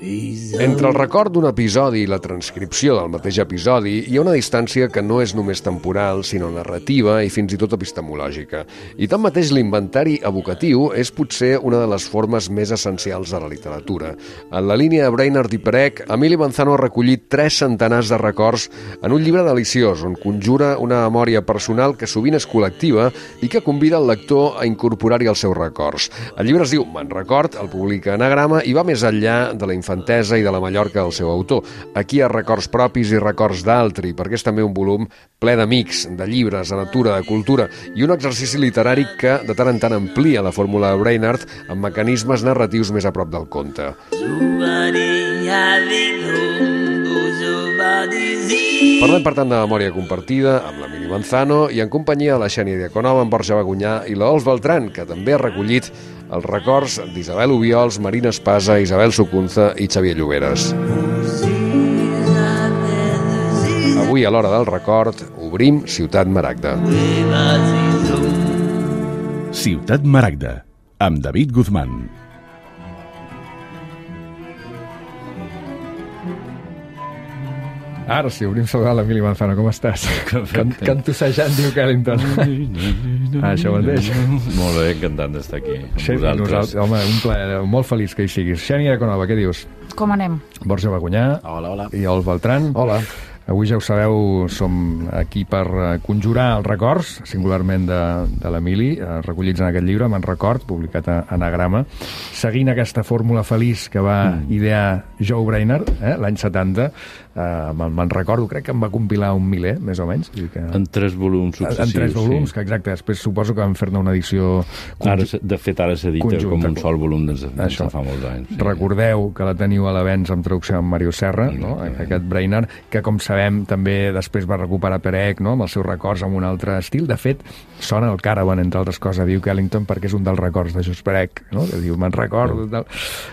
Entre el record d'un episodi i la transcripció del mateix episodi hi ha una distància que no és només temporal, sinó narrativa i fins i tot epistemològica. I tanmateix l'inventari evocatiu és potser una de les formes més essencials de la literatura. En la línia de Brainerd i Perec, Emili Manzano ha recollit 3 centenars de records en un llibre deliciós on conjura una memòria personal que sovint és col·lectiva i que convida el lector a incorporar-hi els seus records. El llibre es diu Me'n record, el publica Anagrama i va més enllà de la infantesa i de la Mallorca del seu autor. Aquí hi ha records propis i records d'altri, perquè és també un volum ple d'amics, de llibres, de natura, de cultura, i un exercici literari que de tant en tant amplia la fórmula de Brainerd amb mecanismes narratius més a prop del conte. Parlem, per tant, de memòria compartida amb l'Emili Manzano i en companyia de la Xènia Diaconova, en Borja Bagunyà i l'Ols Beltran, que també ha recollit els records d'Isabel Obiols, Marina Espasa, Isabel Sucunza i Xavier Lloberes. Avui, a l'hora del record, obrim Ciutat Maragda. Ciutat Maragda, amb David Guzmán. Ara sí, obrim saludar l'Emili Manzano. Com estàs? Cantussejant, diu Kellington. Això mateix. Molt bé, encantant d'estar aquí amb vosaltres. Home, un plaer, molt feliç que hi siguis. Xènia Diaconova, què dius? Com anem? Borja Bagunyà. Hola. I Ols Beltran. Hola. Avui, ja ho sabeu, som aquí per conjurar els records, singularment de l'Emili, recollits en aquest llibre, Me'n record, publicat a Anagrama, seguint aquesta fórmula feliç que va idear Joe Brainerd, l'any 70. Me'n recordo, crec que em va compilar un miler, més o menys. En 3 volums successius. En 3 volums, que exacte. Després suposo que van fer-ne una edició... De fet, ara s'edita com un sol volum des de fa molts anys. Recordeu que la teniu a la Vents amb traducció amb Mario Serra, no? Aquest Brainerd, que com sabem també després va recuperar Perec, no? Amb els seus records amb un altre estil. De fet, sona el Caravan, entre altres coses, diu Kellington, perquè és un dels records de Jos Perec, no? Que diu, me'n recordo.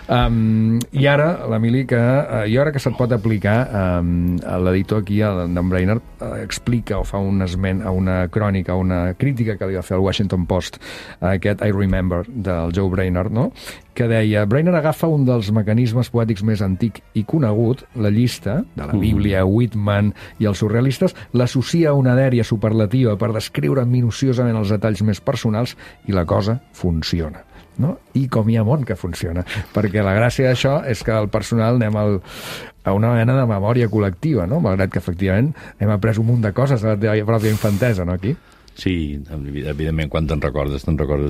I ara, l'Emili, i ara que se't pot aplicar, l'editor aquí, d'en Brainerd, explica o fa un esment a una crònica, a una crítica que li va fer al Washington Post, aquest I Remember, del Joe Brainerd, no? Que deia, Brainerd agafa un dels mecanismes poètics més antic i conegut, la llista de la Bíblia, Whitman i els surrealistes, l'associa a una dèria superlativa per descriure minuciosament els detalls més personals i la cosa funciona. No? I com hi ha món que funciona, perquè la gràcia d'això és que el personal anem a una mena de memòria col·lectiva, no? Malgrat que efectivament hem après un munt de coses de la teva pròpia infantesa, no, aquí? Sí, evidentment, quan te'n recordes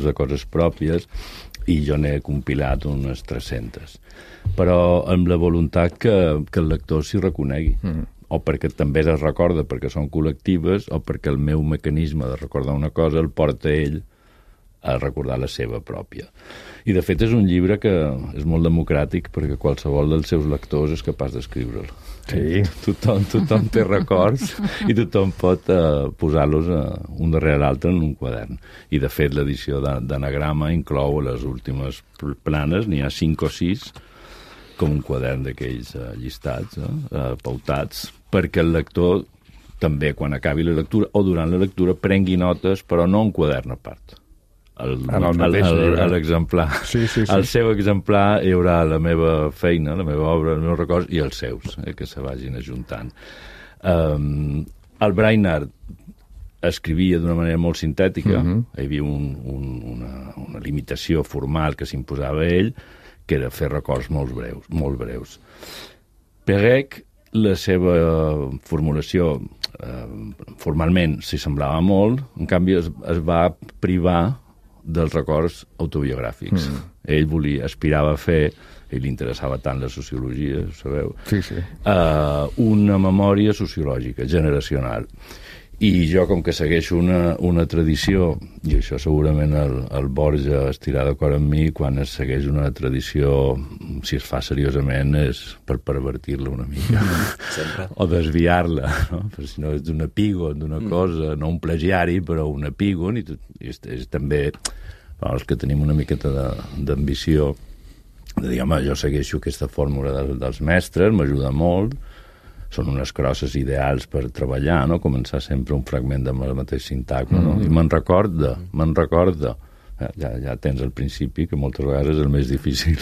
de coses pròpies, i jo n'he compilat unes 300. Però amb la voluntat que el lector s'hi reconegui. O perquè també es recorda perquè són col·lectives, o perquè el meu mecanisme de recordar una cosa el porta ell a recordar la seva pròpia. I, de fet, és un llibre que és molt democràtic perquè qualsevol dels seus lectors és capaç d'escriure'l. Sí. Tothom té records i tothom pot posar-los un darrere l'altre en un quadern. I, de fet, l'edició d'Anagrama inclou les últimes planes, n'hi ha 5 o 6, com un quadern d'aquells llistats, pautats, perquè el lector també, quan acabi la lectura o durant la lectura, prengui notes, però no un quadern a part. L'exemplar. Sí. Al seu exemplar hi haurà la meva feina, la meva obra, els meus records i els seus, que se vagin ajuntant. El Brainerd escrivia d'una manera molt sintètica, hi havia una limitació formal que s'imposava a ell, que era fer records molt breus. Perec, la seva formulació formalment s'hi semblava molt, en canvi es va privar dels records autobiogràfics. Ell aspirava a fer, ell li interessava tant la sociologia, sabeu? Sí. Una memòria sociològica, generacional. I jo, com que segueixo una tradició, i això segurament el Borja estirà d'acord amb mi, quan es segueix una tradició, si es fa seriosament, és per pervertir-la una mica. Sempre. O desviar-la, no? Perquè si no és d'un epígon, d'una cosa, no un plagiari, però un epígon, i és també els que tenim una miqueta d'ambició, de dir, home, jo segueixo aquesta fórmula dels mestres, m'ajuda molt, són unes crosses ideals per treballar, no? Començar sempre un fragment amb el mateix sintagma, no? I me'n recorda, Ja tens el principi, que moltes vegades és el més difícil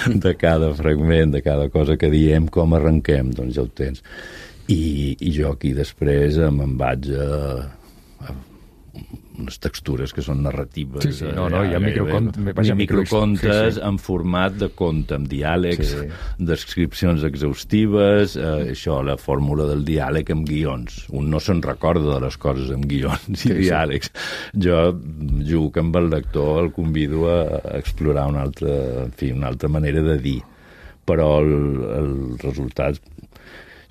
de cada fragment, de cada cosa que diem, com arrenquem, doncs ja ho tens. I jo aquí després me'n vaig a unes textures que són narratives. Sí, hi ha microcontes en format de conte, amb diàlegs, descripcions exhaustives, això, la fórmula del diàleg amb guions. Un no se'n recorda de les coses amb guions i diàlegs. Jo jugo amb el lector, el convido a explorar una altra manera de dir. Però el resultat...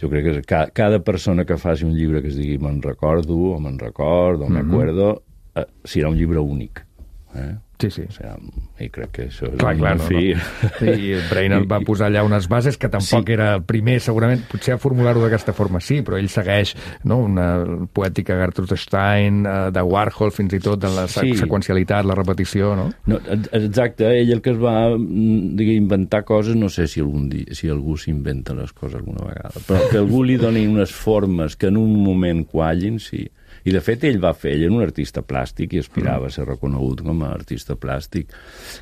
Jo crec que cada persona que faci un llibre que es digui me'n recordo, o me'n record, o m'acuerdo, serà un llibre únic. Sí. I crec que això és clar, fi. I Brainerd va posar allà unes bases que tampoc era el primer, segurament, potser a formular-ho d'aquesta forma sí, però ell segueix una poètica Gertrude Stein, de Warhol, fins i tot, en la seqüencialitat, la repetició, no? Exacte, ell el que es va inventar coses, no sé si algú s'inventa les coses alguna vegada, però que algú li doni unes formes que en un moment quallin, sí. I, de fet, ell era un artista plàstic i aspirava a ser reconegut com a artista plàstic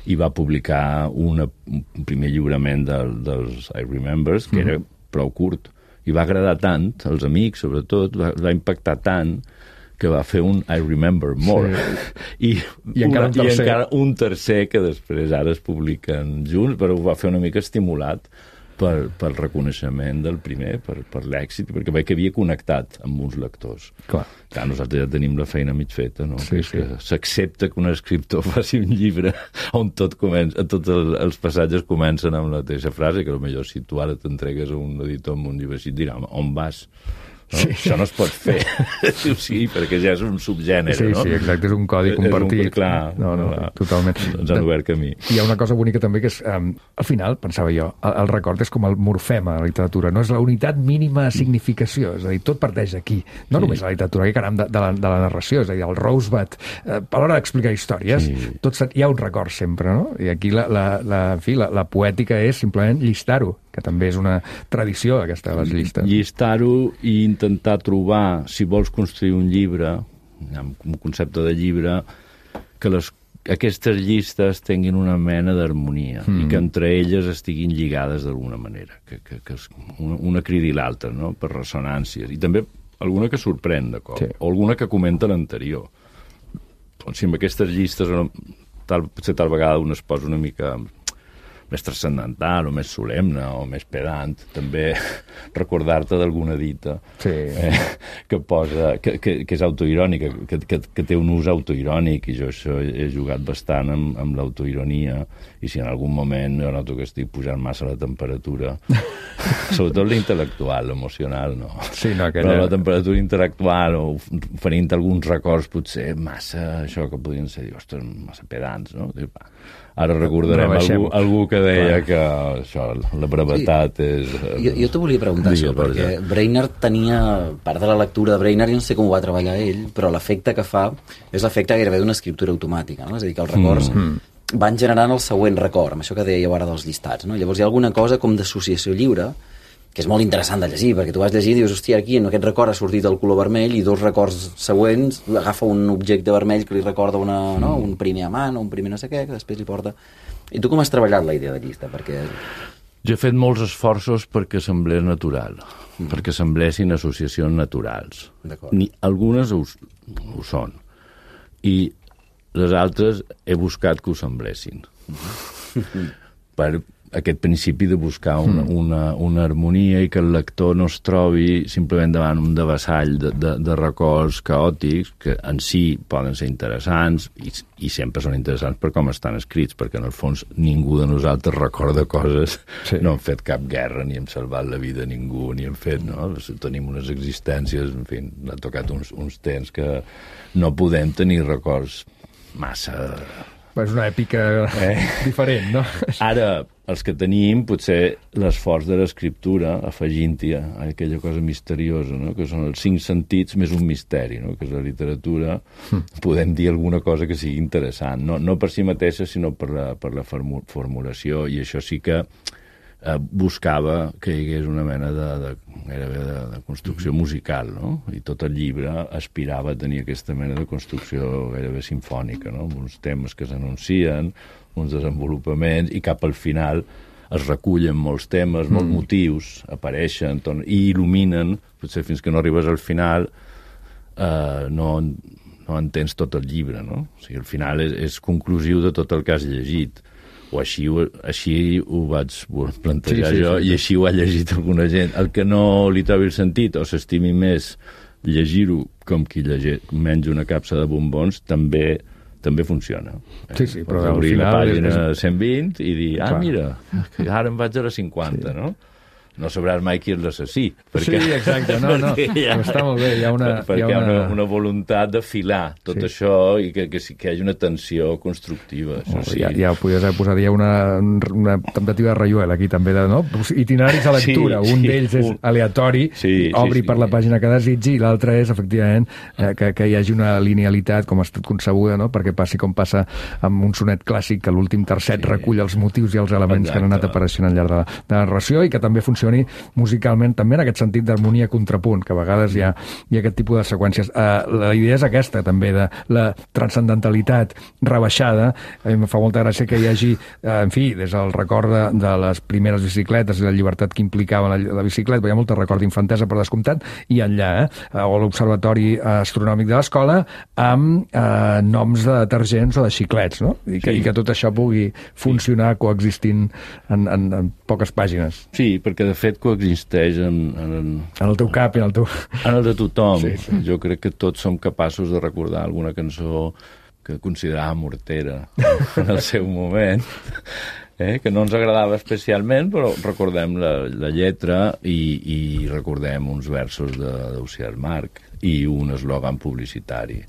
i va publicar un primer lliurament dels I Remembers, que era prou curt. I va agradar tant, als amics, sobretot, va impactar tant que va fer un I Remember More. I encara un tercer que després ara es publiquen junts, però ho va fer una mica estimulat pel reconeixement del primer, per l'èxit, perquè veig que havia connectat amb uns lectors. Clar, nosaltres ja tenim la feina mig feta, no? Que s'accepta que un escriptor faci un llibre on tots els passatges comencen amb la mateixa frase, que potser si tu ara t'entregues a un editor amb un llibre així, et dirà, on vas? No? Sí. Això no es pot fer, sí, perquè ja és un subgènere, no? Sí, exacte, és un codi compartit. Clar, totalment. Ens han obert camí. Hi ha una cosa bonica també que és, al final, pensava jo, el record és com el morfema a la literatura, no és la unitat mínima de significació, és a dir, tot parteix d'aquí, no només la literatura, que caram, de la narració, és a dir, el Rosebud, a l'hora d'explicar històries, hi ha un record sempre, no? I aquí la poètica és simplement llistar-ho, que també és una tradició, aquesta de les llistes. Llistar-ho i intentar trobar, si vols construir un llibre, un concepte de llibre, que aquestes llistes tinguin una mena d'harmonia i que entre elles estiguin lligades d'alguna manera, que una cridi l'altra, no? Per ressonàncies. I també alguna que sorprèn, d'acord? O alguna que comenta l'anterior. Si amb aquestes llistes potser tal vegada un es posa una mica més transcendental o més solemne o més pedant, també recordar-te d'alguna dita que és autoirònica, que té un ús autoirònic, i jo això he jugat bastant amb l'autoironia, i si en algun moment jo noto que estic pujant massa la temperatura, sobretot l'intel·lectual, l'emocional no. Però la temperatura intel·lectual o oferint alguns records potser massa, això que podrien ser, ostres, massa pedants, no? Ara recordarem algú que deia que això, la brevetat és... Jo t'ho volia preguntar això, perquè Brainerd tenia... Part de la lectura de Brainerd, jo no sé com ho va treballar ell, però l'efecte que fa és l'efecte gairebé d'una escriptura automàtica, no? És a dir, que els records van generant el següent record, amb això que dèieu ara dels llistats, no? Llavors hi ha alguna cosa com d'associació lliure, que és molt interessant de llegir, perquè tu vas llegir i dius, hòstia, aquí en aquest record ha sortit el color vermell i dos records següents agafa un objecte vermell que li recorda un primer amant o un primer no sé què, que després li porta... I tu com has treballat la idea de llista? Perquè... Jo he fet molts esforços perquè semblés natural, perquè semblessin associacions naturals. Algunes ho són, i les altres he buscat que ho semblessin. Per aquest principi de buscar una harmonia i que el lector no es trobi simplement davant un devessall de records caòtics que en si poden ser interessants i sempre són interessants per com estan escrits, perquè en el fons ningú de nosaltres recorda coses, no hem fet cap guerra ni hem salvat la vida a ningú, ni hem fet, no? Tenim unes existències, en fi, ha tocat uns temps que no podem tenir records massa... És una èpica diferent, no? Ara, els que tenim, potser l'esforç de l'escriptura, afegint-hi aquella cosa misteriosa, no? Que són els 5 sentits més un misteri, no? Que és la literatura, podem dir alguna cosa que sigui interessant, no per si mateixa, sinó per la formulació, i això sí que buscava que hi hagués una mena gairebé de construcció musical, no? I tot el llibre aspirava a tenir aquesta mena de construcció gairebé sinfònica, no? Amb uns temes que s'anuncien, uns desenvolupaments, i cap al final es recullen molts temes, molts motius, apareixen i il·luminen, potser fins que no arribes al final no entens tot el llibre, no? O sigui, al final és conclusiu de tot el que has llegit, o així ho vaig plantejar jo, i així ho ha llegit alguna gent. El que no li trobi el sentit o s'estimi més llegir-ho com qui menja una capsa de bombons, també funciona. Sí, però al obrir final... la pàgina 120 i dir, mira, que ara em vaig a la 50, no? No sabràs mai qui és l'assassí. Sí, exacte, no. Està molt bé, hi ha una voluntat de filar tot això i que hi hagi una tensió constructiva. Això sí. Ja ho podies haver posat, hi ha una temptativa de Rayuela aquí també, no? Itineraris de lectura, un d'ells és aleatori, obri per la pàgina que desitgi, i l'altre és, efectivament, que hi hagi una linealitat com ha estat concebuda, no? Perquè passi com passa amb un sonet clàssic, que l'últim tercet recull els motius i els elements que han anat apareixent al llarg de la narració, i que també funcioni musicalment també en aquest sentit d'harmonia-contrapunt, que a vegades hi ha aquest tipus de seqüències. La idea és aquesta, també, de la transcendentalitat rebaixada. A mi em fa molta gràcia que hi hagi, en fi, des del record de les primeres bicicletes i la llibertat que implicava la bicicleta, hi ha molt record d'infantesa, per descomptat, i enllà, o l'observatori astronòmic de l'escola, amb noms de detergents o de xiclets, no? I que tot això pugui funcionar coexistint en poques pàgines. Sí, perquè de fet coexisteix en el teu cap i en el teu... En el de tothom. Sí. Jo crec que tots som capaços de recordar alguna cançó que considerava mortera en el seu moment, que no ens agradava especialment, però recordem la lletra i recordem uns versos d'Ausiàs Marc i un eslògan publicitari,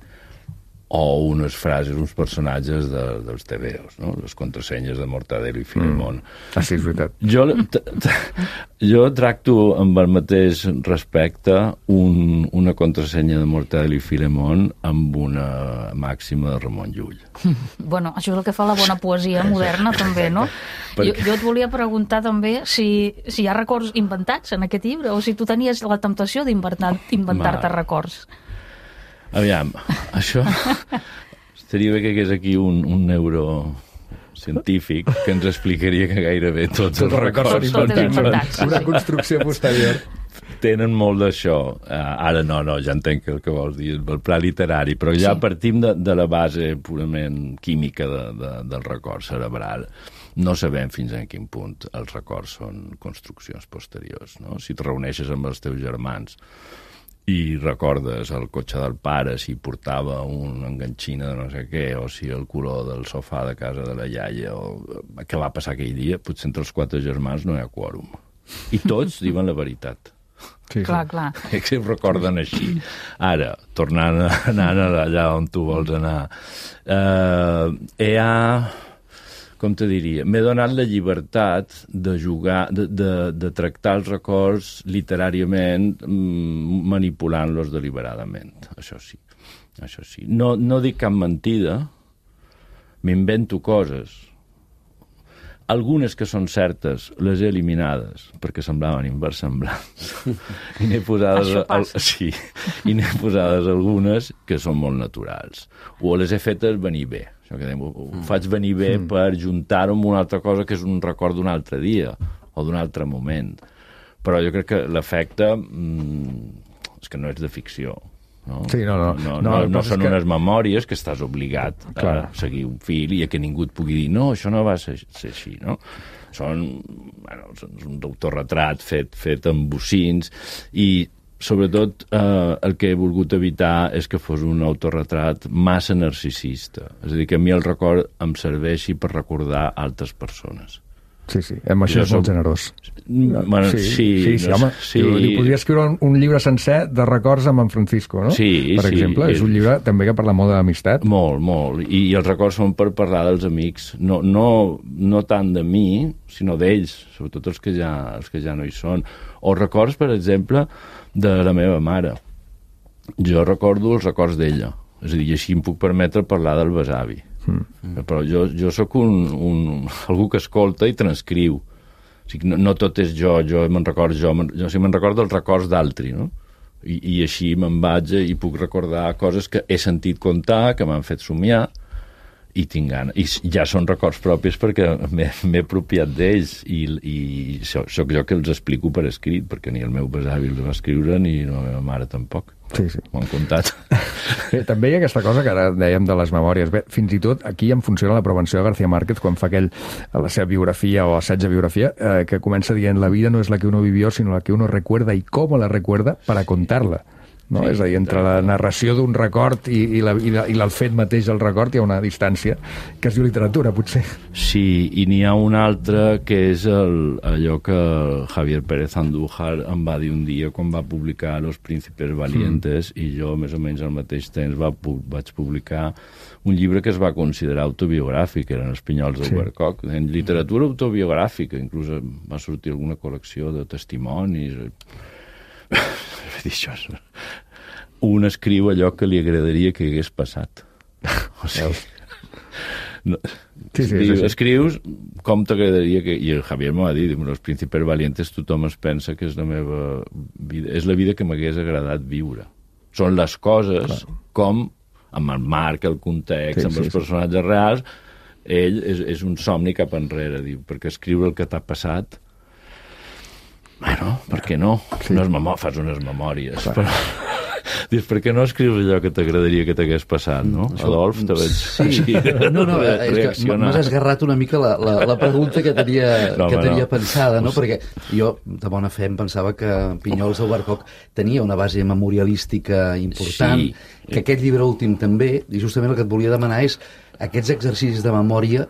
o unes frases, uns personatges dels tebeos, no? Les contrasenyes de Mortadelo i Filemón. Sí, és veritat. Jo tracto amb el mateix respecte una contrasenya de Mortadelo i Filemón amb una màxima de Ramon Llull. Bueno, això és el que fa la bona poesia moderna, també, no? Jo et volia preguntar també si hi ha records inventats en aquest llibre, o si tu tenies la temptació d'inventar-te records. Aviam, això estaria bé que hagués aquí un neurocientífic que ens explicaria que gairebé tots els records són inventats. Una construcció posterior. Tenen molt d'això. Ara no, ja entenc el que vols dir, el pla literari, però ja partim de la base purament química del record cerebral. No sabem fins a quin punt els records són construccions posteriors, no? Si et reuneixes amb els teus germans i recordes el cotxe del pare, si portava una enganxina de no sé què, o si el color del sofà de casa de la iaia, o què va passar aquell dia, potser entre els 4 germans no hi ha quòrum. I tots diuen la veritat. Sí. Clar. Que ho recorden així. Ara, tornant allà on tu vols anar, com te diria, m'he donat la llibertat de jugar, de tractar els records literàriament, manipulant-los deliberadament. Això sí. No dic cap mentida, m'invento coses. Algunes que són certes les he eliminades perquè semblaven inversemblants. I n'he posades algunes que són molt naturals. O les he fetes venir bé. Ho faig venir bé per juntar-ho amb una altra cosa que és un record d'un altre dia o d'un altre moment. Però jo crec que l'efecte és que no és de ficció. No? Sí, no són unes memòries que estàs obligat a seguir un fil i a que ningú et pugui dir no, això no va ser així, no? Són un autorretrat fet amb bocins i sobretot el que he volgut evitar és que fos un autorretrat massa narcisista. És a dir, que a mi el record em serveixi per recordar altres persones. Sí, amb això és molt generós. Bueno, sí, home. Li podria escriure un llibre sencer de records amb en Francisco, no? Sí, per exemple, és un llibre també que parla molt d'amistat. Molt. I els records són per parlar dels amics. No tant de mi, sinó d'ells, sobretot els que ja no hi són. O records, per exemple, de la meva mare. Jo recordo els records d'ella. És a dir, així em puc permetre parlar del besavi. Però jo sóc algú que escolta i transcriu. O sigui, no tot és jo me'n recordo me'n recordo els records d'altri, no? I així me'n vaig i puc recordar coses que he sentit contar, que m'han fet somiar, i tinc gana. I ja són records propis perquè m'he apropiat d'ells i sóc jo que els explico per escrit, perquè ni el meu besavi els va escriure ni la meva mare tampoc. Sí. M'ho han contat. També hi ha aquesta cosa que ara dèiem de les memòries. Bé, fins i tot aquí em funciona la prevenció de García Márquez quan fa la seva biografia o assaig de biografia que comença dient la vida no és la que uno vivió, sinó la que uno recuerda y cómo la recuerda para contarla. No? És a dir, entre la narració d'un record i el fet mateix del record hi ha una distància que es diu literatura, potser. Sí, i n'hi ha un altre que és allò que Javier Pérez Andújar em va dir un dia quan va publicar Los Príncipes Valientes i jo més o menys al mateix temps vaig publicar un llibre que es va considerar autobiogràfic, eren Els Pinyols de Ubercock, en literatura autobiogràfica, inclús va sortir alguna col·lecció de testimonis. Un escriu allò que li agradaria que hagués passat. O sigui, escrius com t'agradaria que... I el Javier m'ho va dir, Los Príncipes Valientes tothom es pensa que és la meva vida, és la vida que m'hagués agradat viure. Són les coses com, amb el marc, el context, amb els personatges reals, ell és un somni cap enrere, diu, perquè escriure el que t'ha passat. Bueno, per què no? Sí. Fas unes memòries. Però... Dius, per què no escrius allò que t'agradaria que t'hagués passat, no? Adolf, te veig... Sí, no, és que m'has esgarrat una mica la pregunta que tenia pensada, no? Perquè jo, de bona fe, em pensava que Pinyols de Ubercock tenia una base memorialística important, que aquest llibre últim també, i justament el que et volia demanar és aquests exercicis de memòria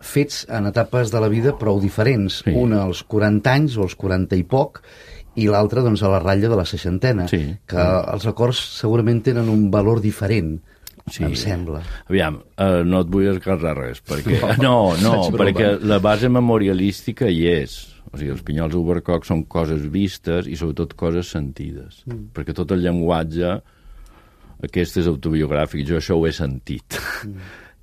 fets en etapes de la vida prou diferents. Sí. Una als 40 anys o als 40 i poc, i l'altra doncs, a la ratlla de la 60ena, que els records segurament tenen un valor diferent, em sembla. Aviam, no et vull esgarrar res, perquè... perquè la base memorialística hi és. O sigui, Els Pinyols d'Ubercock són coses vistes i sobretot coses sentides, perquè tot el llenguatge aquest és autobiogràfic, jo això ho he sentit.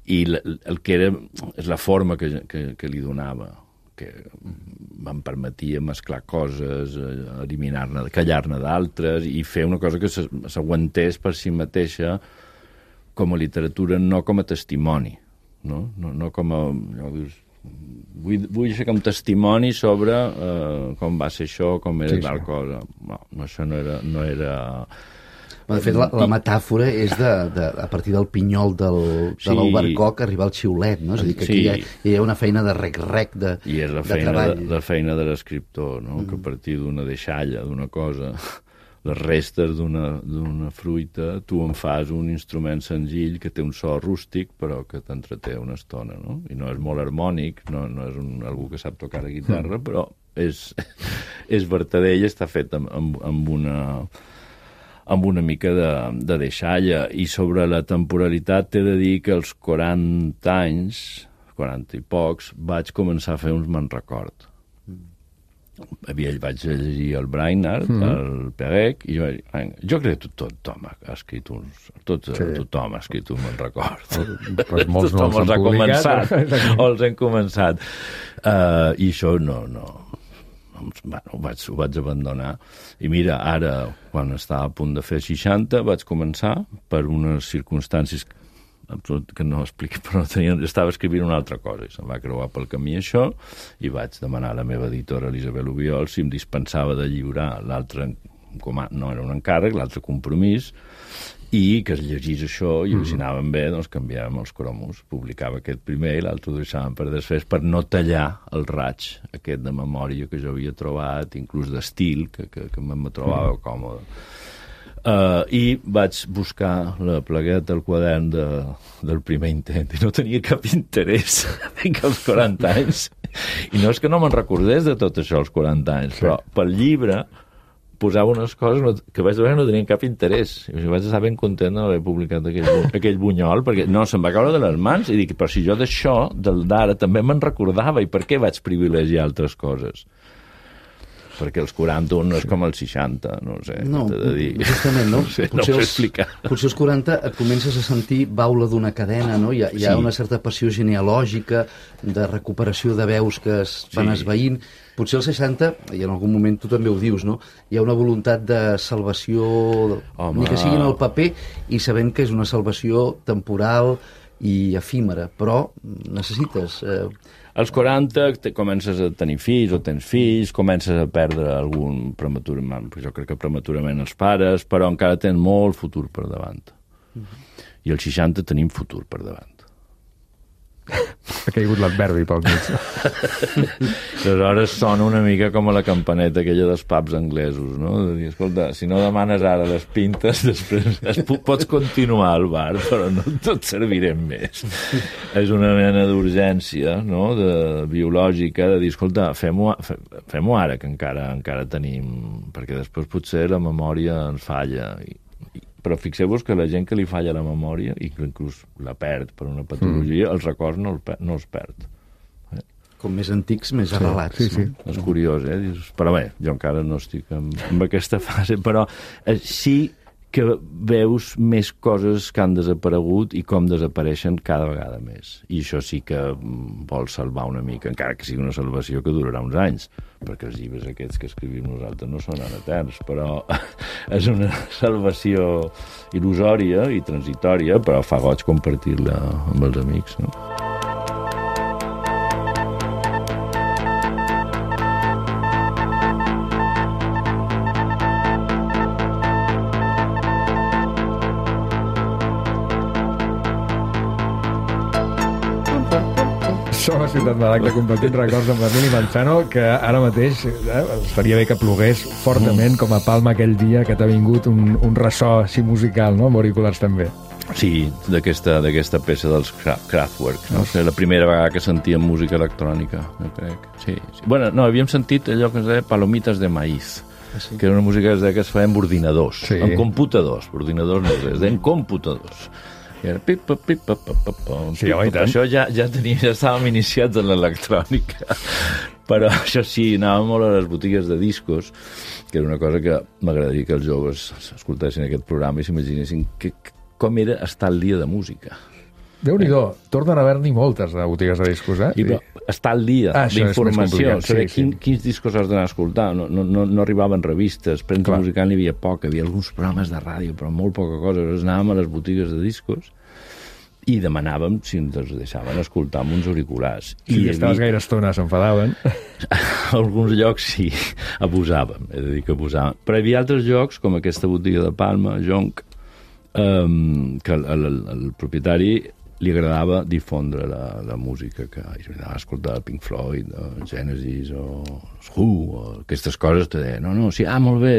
I el que era és la forma que li donava, que em permetia mesclar coses, eliminar-ne, callar-ne d'altres i fer una cosa que s'aguantés per si mateixa com a literatura, no com a testimoni, no com a... Vull ser com testimoni sobre com va ser això, com era tal cosa. No, això no era... De fet, la metàfora és a partir del pinyol de l'Ubercock arribar al xiulet, no? És a dir, que aquí hi ha una feina de rec-rec de treball. I és la feina de l'escriptor, no? Que a partir d'una deixalla, d'una cosa, les restes d'una fruita, tu en fas un instrument senzill que té un so rústic, però que t'entreté una estona, no? I no és molt harmònic, no és algú que sap tocar la guitarra, però és vertadell, està fet amb una mica de deixalla. I sobre la temporalitat t'he de dir que als 40 anys, 40 i pocs, vaig començar a fer uns me'n record. Vaig llegir el Brainerd, el Perec, i jo crec que tothom ha escrit un me'n record. Pues molts no els han publicat. O els han començat. I això no. Ho vaig abandonar. I mira, ara, quan estava a punt de fer 60, vaig començar per unes circumstàncies que no explico, però estava escrivint una altra cosa i se'm va creuar pel camí això i vaig demanar a la meva editora Elisabel Ubiol si em dispensava de lliurar l'altre, no era un encàrrec, l'altre compromís, i que es llegís això i si anaven bé, doncs canviàvem els cromos, publicava aquest primer i l'altre ho deixàvem per després per no tallar el raig aquest de memòria que jo havia trobat, inclús d'estil, que me trobava còmode. I vaig buscar la plagueta, el quadern del primer intent i no tenia cap interès fins als 40 anys. I no és que no me'n recordés de tot això als 40 anys, però pel llibre posava unes coses que vaig veure que no tenien cap interès. I vaig estar ben content d'haver publicat aquell bunyol, perquè no, se'm va caure de les mans i dic, però si jo d'això, del d'ara, també me'n recordava, i per què vaig privilegiar altres coses? perquè els 41 no és com els 60, no sé, t'he de dir. Justament, no? No sé, no ho sé explicar. Potser als 40 et comences a sentir baula d'una cadena, no? Hi ha una certa passió genealògica de recuperació de veus que es van esvaint. Potser als 60, i en algun moment tu també ho dius, no? Hi ha una voluntat de salvació, ni que sigui en el paper, i sabent que és una salvació temporal i efímera, però necessites... Als 40 comences a tenir fills o tens fills, comences a perdre algun prematurament, jo crec que prematurament els pares, però encara tens molt futur per davant. I als 60 tenim futur per davant. Ha caigut l'adverbi pel mig. Aleshores sona una mica com a la campaneta aquella dels pubs anglesos, no? De dir, escolta, si no demanes ara les pintes, després pots continuar al bar, però no et servirem més. És una mena d'urgència, no?, biològica, de dir, escolta, fem-ho ara, que encara tenim... Perquè després potser la memòria ens falla. Però fixeu-vos que la gent que li falla la memòria i que inclús la perd per una patologia, els records no els perd. Com més antics, més arrelats. Sí. És curiós, Però bé, jo encara no estic en aquesta fase, però sí que veus més coses que han desaparegut i com desapareixen cada vegada més. I això sí que vol salvar una mica, encara que sigui una salvació que durarà uns anys, perquè els llibres aquests que escrivim nosaltres no són eterns, però és una salvació il·lusòria i transitòria, però fa goig compartir-la amb els amics, no? Som a Ciutat Maragda compartint records amb l'Emili Manzano, que ara mateix estaria bé que plogués fortament com a Palma aquell dia que t'ha vingut un ressò així musical, no? Amb auriculars també. Sí, d'aquesta peça dels Kraftwerk. No sé, la primera vegada que sentíem música electrònica, jo crec. Sí. Bueno, no, havíem sentit allò que es deia Palomitas de Maíz, que era una música que es feia amb ordinadors, amb computadors. Ordinadors no, es deien computadors. I era sí, home, i tant. Això ja estàvem iniciats en l'electrònica. Però això sí, anàvem molt a les botigues de discos, que era una cosa que m'agradaria que els joves escoltessin aquest programa i s'imaginessin com era estar al dia de música. Déu-n'hi-do, tornen a haver-n'hi moltes de botigues de discos, I estar al dia d'informació, saber quins discos has d'anar a escoltar. No arribaven revistes, premsa musical n'hi havia poc, hi havia alguns programes de ràdio, però molt poca cosa. Llavors anàvem a les botigues de discos i demanàvem si ens deixaven escoltar amb uns auriculars. Si estaves gaire estona s'enfadaven. Alguns llocs sí, abusàvem, he de dir que abusàvem. Però hi havia altres llocs, com aquesta botiga de Palma, Jonc, que el propietari li agradava difondre la música, que anava a escoltar Pink Floyd, o Genesis, o Who, o aquestes coses, te deia, no, sí, molt bé,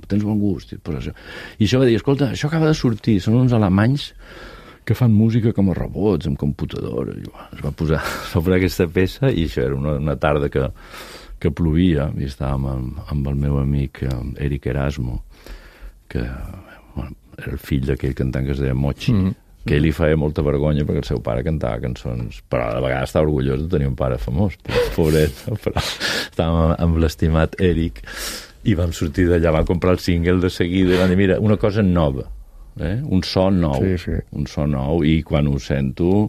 tens bon gust. I això va dir, escolta, això acaba de sortir, són uns alemanys que fan música com a robots, amb computadora. I es va posar sobre aquesta peça, i això era una tarda que plovia, i estàvem amb el meu amic Eric Erasmo, que era el fill d'aquell cantant que es deia Mochi, que ell li feia molta vergonya perquè el seu pare cantava cançons, però a la vegada estava orgullós de tenir un pare famós, pobret, però estàvem amb l'estimat Eric i vam sortir d'allà, vam comprar el single de seguida i vam dir, mira, una cosa nova, un so nou, un so nou, i quan ho sento,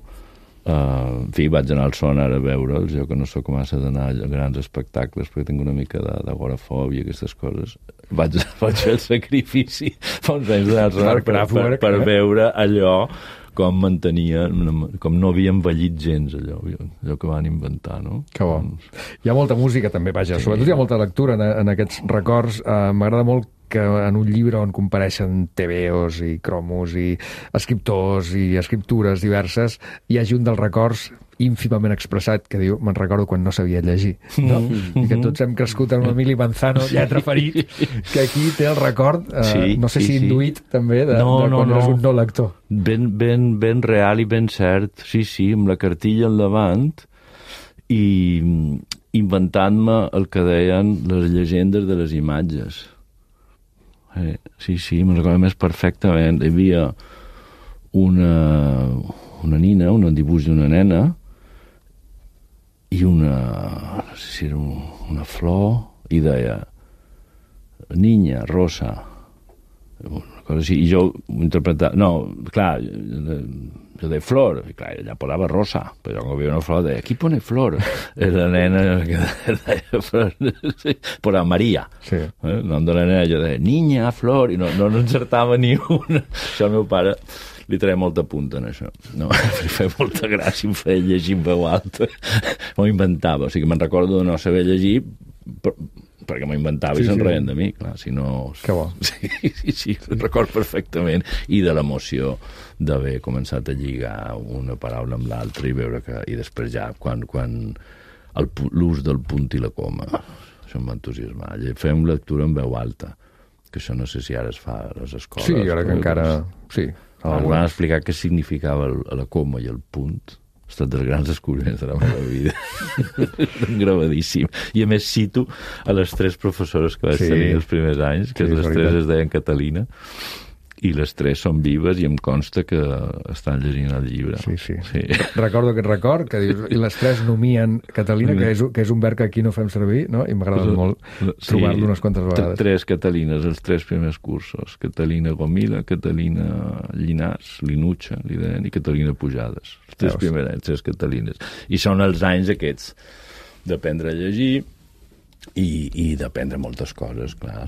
en fi, vaig anar al Sonar a veure'ls, jo que no sóc massa d'anar a grans espectacles perquè tinc una mica d'agorafòbia, aquestes coses, vaig fer el sacrifici fa uns anys d'anar al Sonar per veure allò com mantenien, com no havia envellit gens allò que van inventar, no? Que bo. Hi ha molta música també, vaja, sobretot hi ha molta lectura en aquests records. M'agrada molt que en un llibre on compareixen tebeos i cromos i escriptors i escriptures diverses hi hagi un dels records ínfimament expressat que diu, me'n recordo quan no sabia llegir, no? I que tots hem crescut amb Emili Manzano, lletra ferit, que aquí té el record, no sé si induït també, de quan eres un no lector. Ben real i ben cert, sí, amb la cartilla al davant i inventant-me el que deien les llegendes de les imatges. Sí, me'n recordo més perfectament. Hi havia una nina, un dibuix d'una nena i no sé si era una flor i deia niña, rosa, una cosa així, i jo ho interpretava, no, clar, jo deia flor, i clar, ella posava rosa, però quan veia una flor deia, qui pone flor? Era la nena que deia flor, però Maria, el nom de la nena, jo deia, niña, flor, i no encertava ni una. Això al meu pare li treia molta punta en això. No, li feia molta gràcia, em feia llegir en veu alta. M'ho inventava, o sigui, me'n recordo de no saber llegir, perquè m'ho inventava i se'n reien de mi, clar, si no... Que bo. Sí, ho record perfectament. I de l'emoció d'haver començat a lligar una paraula amb l'altra i veure que... I després ja, quan l'ús del punt i la coma, això em va entusiasmar. Fem lectura en veu alta, que això no sé si ara es fa a les escoles. Sí, ara que encara... Sí. Ens van explicar què significava la coma i el punt. Ha estat dels grans descobriments de la meva vida. Gravadíssim. I a més cito a les 3 professores que vaig tenir els primers anys, que les 3 es deien Catalina, i les 3 són vives i em consta que estan llegint el llibre. Sí. Recordo aquest record, que dius, i les 3 nomien Catalina, que és un verb que aquí no fem servir, no? I m'agrada molt trobar-lo unes quantes vegades. 3 Catalines, els 3 primers cursos. Catalina Gomila, Catalina Llinàs, Linutxa, li deien, i Catalina Pujades. Els 3 primers anys, 3 Catalines. I són els anys aquests d'aprendre a llegir, i d'aprendre moltes coses, clar,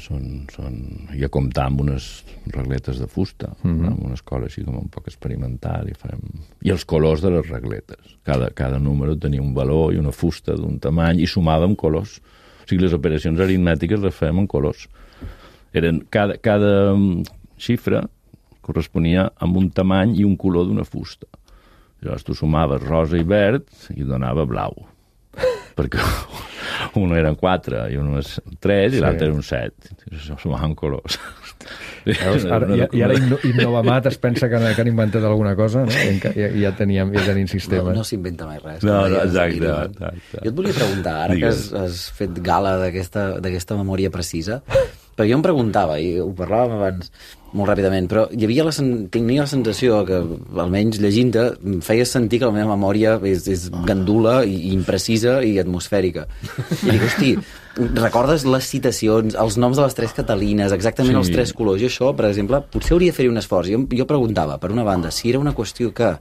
i a comptar amb unes regletes de fusta, amb una escola així com un poc experimental, i els colors de les regletes. Cada número tenia un valor i una fusta d'un tamany, i sumàvem colors. O sigui, les operacions aritmètiques les fèiem en colors. Cada xifra corresponia amb un tamany i un color d'una fusta. Llavors tu sumaves rosa i verd i donava blau. Perquè un eren 4 i un és 3 i l'altre era un 7. Això sumaven colors. I ara Innovamat es pensa que han inventat alguna cosa, no? I ja tenim sistemes. No s'inventa mai res. No, exacte. Jo et volia preguntar, ara que has fet gala d'aquesta memòria precisa, perquè jo em preguntava, i ho parlàvem abans molt ràpidament, però tenia la sensació que, almenys llegint-te, em feia sentir que la meva memòria és gandula i imprecisa i atmosfèrica. I dic, hosti, recordes les citacions, els noms de les 3 Catalines, exactament els 3 colors, i això, per exemple, potser hauria de fer-hi un esforç. Jo preguntava, per una banda, si era una qüestió que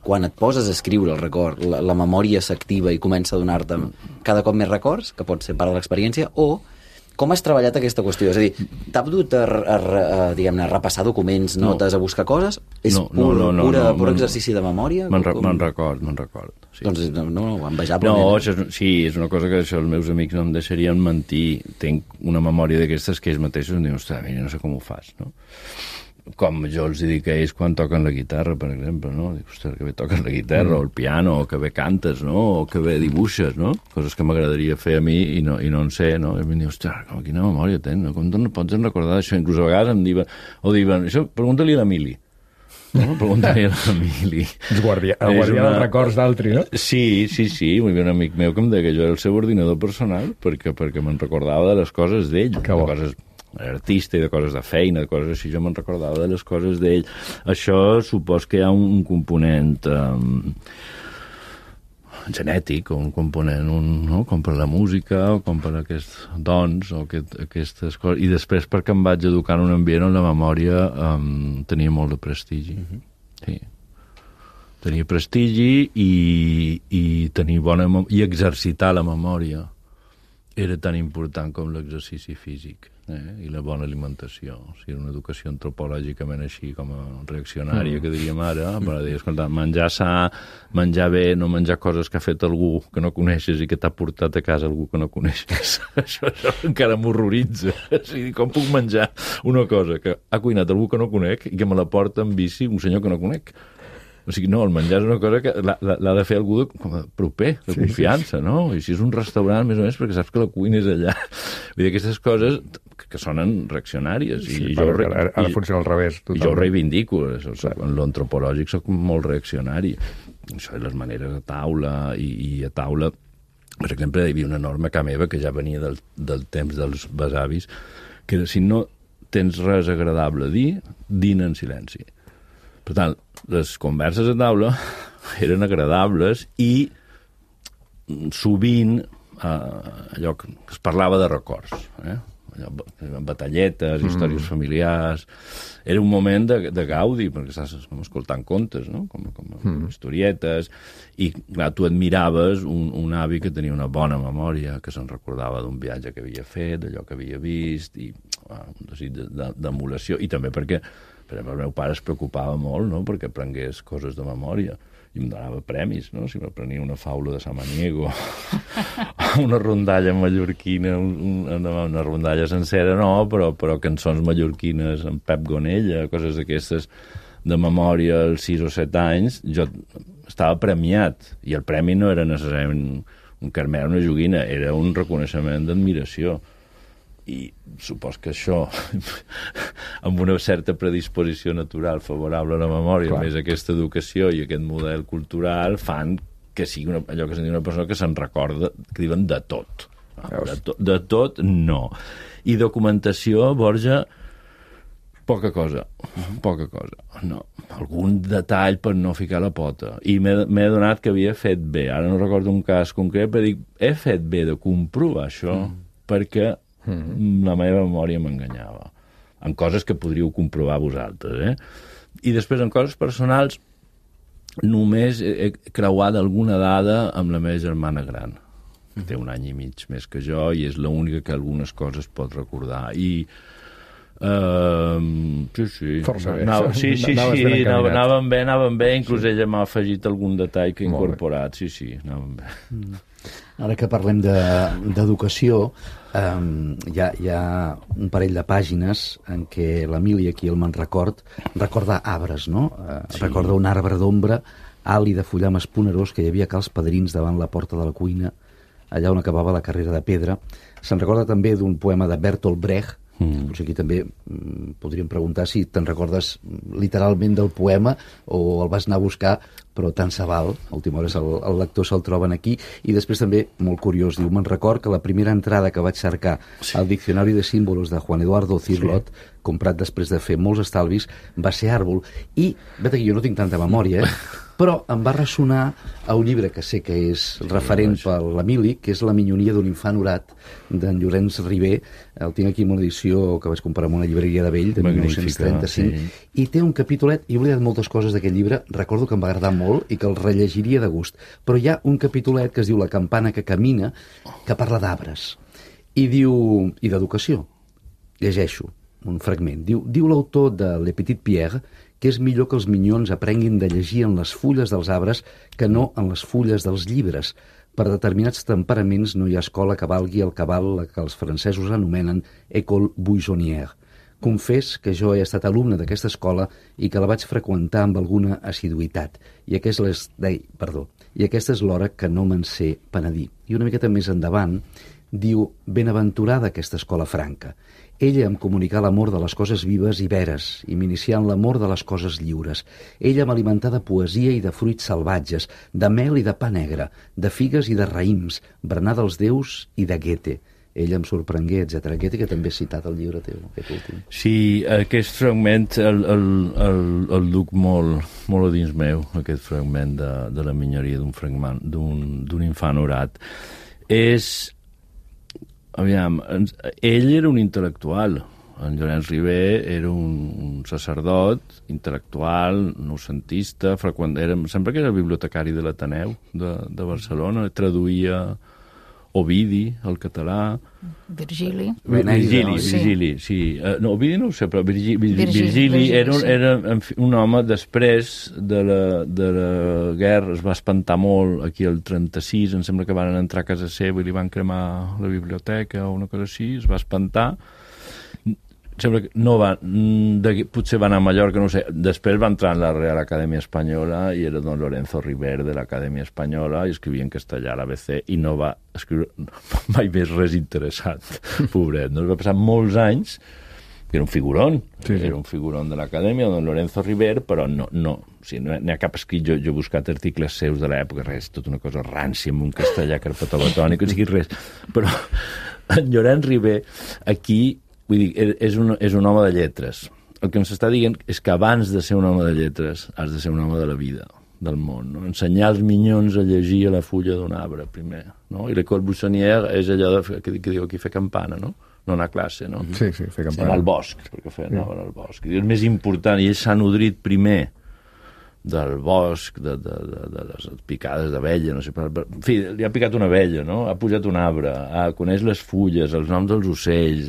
quan et poses a escriure el record, la memòria s'activa i comença a donar-te cada cop més records, que pot ser part de l'experiència, o com has treballat aquesta qüestió? És a dir, t'ha dut a repassar documents, notes, a buscar coses? És pur exercici de memòria? Me'n record. Sí. Doncs envejable. No, sí, és una cosa que els meus amics no em deixarien mentir. Tinc una memòria d'aquestes que ells mateixos em diuen, ostres, no sé com ho fas, no? Com jo els dic a ells quan toquen la guitarra, per exemple, no? Dic, ostres, que bé toques la guitarra, o el piano, o que bé cantes, no? O que bé dibuixes, no? Coses que m'agradaria fer a mi i no en sé, no? I em diuen, ostres, quina memòria tens, no? Com no pots recordar això? Inclús a vegades em diuen, això, pregunta-li a l'Emili. No? Pregunta-li a l'Emili. El guardià dels records d'altri, no? Sí. Hi havia un amic meu que em deia que jo era el seu ordinador personal perquè me'n recordava de les coses d'ell, de coses artista i de coses de feina, de coses així, jo me'n recordava de les coses d'ell. Això supos que hi ha un component genètic, o un component, com per la música, o com per aquests dons, o aquestes coses. I després perquè em vaig educar en un ambient on la memòria tenia molt de prestigi. Sí. Tenia prestigi i tenir i exercitar la memòria era tan important com l'exercici físic. I la bona alimentació. O sigui, una educació antropològicament així com a reaccionària, que diríem ara, per dir, escolta, menjar sa, menjar bé, no menjar coses que ha fet algú que no coneixes i que t'ha portat a casa algú que no coneixes. Això encara m'horroritza. O sigui, com puc menjar una cosa que ha cuinat algú que no conec i que me la porta en bici un senyor que no conec? O sigui, no, el menjar és una cosa que l'ha de fer algú proper, de confiança, no? I si és un restaurant, més o menys, perquè saps que la cuina és allà. Vull dir, aquestes coses que sonen reaccionàries. Sí, ara funciona al revés. I jo ho reivindico. En l'antropològic soc molt reaccionari. Això de les maneres a taula, i a taula... Per exemple, hi havia una norma a casa meva que ja venia del temps dels besavis, que era, si no tens res agradable a dir, dina en silenci. Per tant, les converses a taula eren agradables i sovint allò que es parlava de records, batalletes, històries familiars. Era un moment de gaudi, perquè estàs escoltant contes, no? Com historietes, i clar, tu admiraves un avi que tenia una bona memòria, que se'n recordava d'un viatge que havia fet, d'allò que havia vist, i un desig d'emulació, i també perquè, per exemple, el meu pare es preocupava molt, no?, perquè aprengués coses de memòria, i em donava premis, no?, si m'aprenia una faula de Samaniego, una rondalla mallorquina, una rondalla sencera no, però cançons mallorquines amb Pep Gonella, coses d'aquestes de memòria als 6 o 7 anys, jo estava premiat, i el premi no era necessàriament un carmer o una joguina, era un reconeixement d'admiració. I supos que això, amb una certa predisposició natural favorable a la memòria, més aquesta educació i aquest model cultural, fan que sigui allò que se'n diu una persona que se'n recorda, que diuen de tot. De tot, no. I documentació, Borja, poca cosa, no. Algun detall per no ficar la pota. I m'he adonat que havia fet bé. Ara no recordo un cas concret, però dic, he fet bé de comprovar això, perquè la meva memòria m'enganyava. En coses que podríeu comprovar vosaltres, I després, en coses personals, només he creuat alguna dada amb la meva germana gran, que té 1 any i mig més que jo, i és l'única que algunes coses pot recordar. I sí. Força bé. Anaven bé, inclús ella m'ha afegit algun detall que he incorporat. Sí, anaven bé. Ara que parlem d'educació, hi ha un parell de pàgines en què l'Emili, aquí el me'n recorda arbres, no? Recorda un arbre d'ombra, alt i de fullam esponerós, que hi havia cals padrins davant la porta de la cuina, allà on acabava la carrera de pedra. Se'n recorda també d'un poema de Bertolt Brecht. Potser aquí també podríem preguntar si te'n recordes literalment del poema o el vas anar a buscar, però tant se val, a última hora el lector se'l troben aquí. I després també, molt curiós, diu, me'n record que la primera entrada que vaig cercar al Diccionari de Símbolos de Juan Eduardo Cirlot, comprat després de fer molts estalvis, va ser àrbol. I, vet aquí, jo no tinc tanta memòria, però em va ressonar a un llibre que sé que és referent per l'Emili, que és La minyonia d'un infant orat, d'en Llorenç Ribé. El tinc aquí en una edició que vaig comprar en una llibreria de vell, de 1935, i té un capítolet, i he oblidat moltes coses d'aquest llibre, recordo que em va agradar molt i que el rellegiria de gust, però hi ha un capítolet que es diu La campana que camina, que parla d'arbres, i diu, i d'educació. Llegeixo un fragment. Diu l'autor de Le Petit Pierre que és millor que els minyons aprenguin de llegir en les fulles dels arbres que no en les fulles dels llibres. Per determinats temperaments no hi ha escola que valgui el cabal que els francesos anomenen école buissonnière. Confés que jo he estat alumne d'aquesta escola i que la vaig freqüentar amb alguna assiduïtat. I aquesta és l'hora que no me'n sé penedir. I una miqueta més endavant diu, benaventurada aquesta escola franca. Ella em comunicà l'amor de les coses vives i veres i m'inicià en l'amor de les coses lliures. Ella m'alimentà de poesia i de fruits salvatges, de mel i de pa negre, de figues i de raïms, berenar dels déus i de Goethe. Ella em sorprengué, etc. Goethe, que també has citat el llibre teu, aquest últim. Sí, aquest fragment el duc molt a dins meu, aquest fragment de la minyoria d'un infant orat. Aviam, ell era un intel·lectual. En Llorenç Ribé era un sacerdot intel·lectual, noucentista, sempre que era bibliotecari de l'Ateneu de Barcelona, traduïa Ovidi, al català. Virgili, sí. No, Ovidi no ho sé, però Virgili era un home, després de la guerra, es va espantar molt aquí al 36, em sembla que van entrar a casa seva i li van cremar la biblioteca o una cosa així, es va espantar. Sembla que no va, potser va anar a Mallorca, no sé. Després va entrar en la Real Acadèmia Espanyola i era don Lorenzo River de l'Acadèmia Espanyola i escrivia en castellà a l'ABC i no va escriure mai més res interessant, pobret. No? Es va passar molts anys, que era un figuron, era un figuron de l'Acadèmia, don Lorenzo River, però no n'hi ha cap escrit, jo he buscat articles seus de l'època, res, tota una cosa rància amb un castellà carpetobatònic, o sigui, res. Però en Llorenç Ribé, aquí, vull dir, és un home de lletres. El que ens està dient és que abans de ser un home de lletres has de ser un home de la vida. del món, no? Ensenyar als minyons a llegir a la fulla d'un arbre, primer, no? I l'école buissonnière és allò que diu aquí fer campana, no? No anar a classe, no? Sí, fer campana. Anar al bosc, perquè anaven al bosc. I és més important, i ell s'ha nodrit primer del bosc, de les picades d'abella, no sé, en fi, li ha picat una abella, no? Ha pujat un arbre, coneix les fulles, els noms dels ocells,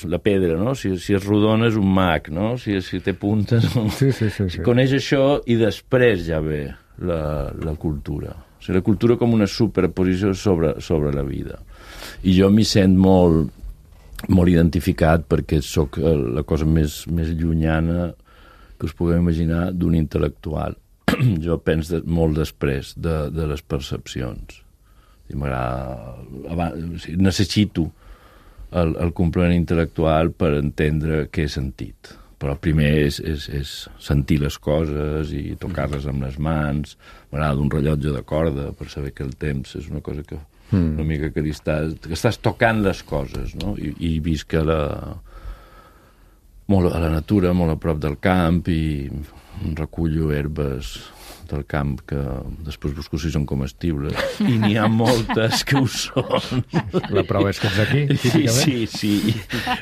la pedra, no? Si és rodona és un mag, no? Si té puntes... Sí. Coneix això i després ja ve la cultura. O sigui, la cultura com una superposició sobre la vida. I jo m'hi sent molt identificat perquè sóc la cosa més llunyana que us pugueu imaginar d'un intel·lectual. Jo penso molt després de les percepcions. M'agrada... Necessito el complement intel·lectual per entendre què he sentit. Però primer és sentir les coses i tocar-les amb les mans. M'agrada un rellotge de corda per saber que el temps és una cosa que una mica que estàs tocant les coses, no? I visc molt a la natura, molt a prop del camp, i recullo herbes del camp que després busco si són comestibles, i n'hi ha moltes que ho són. La prova és que ets aquí, típicament. Sí.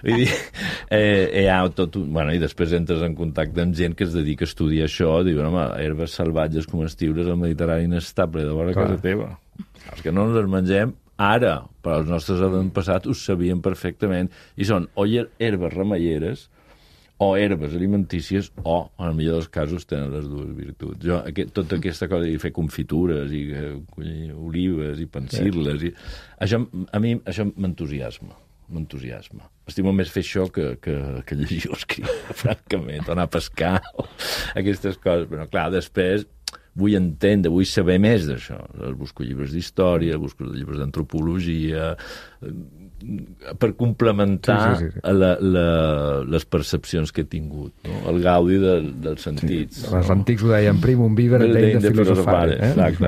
Vull dir, i després entres en contacte amb gent que es dedica a estudiar això, diuen, home, herbes salvatges comestibles al Mediterrani inestable de vora casa teva. Els que no ens les mengem ara, però els nostres avantpassats ho sabien perfectament, i són o herbes remeieres o herbes alimentícies, o, en el millor dels casos, tenen les dues virtuts. Jo, tota aquesta cosa de fer confitures i olives i pensir-les, a mi això m'entusiasma. Estimo més fer això que llegir o escriure, francament, o anar a pescar, o aquestes coses. Però, clar, després vull entendre, vull saber més d'això. Busco llibres d'història, busco llibres d'antropologia, per complementar les percepcions que he tingut, no? El gaudi dels sentits. Sí. Els antics ho deien primum vivere deim de filosofare. Exacte,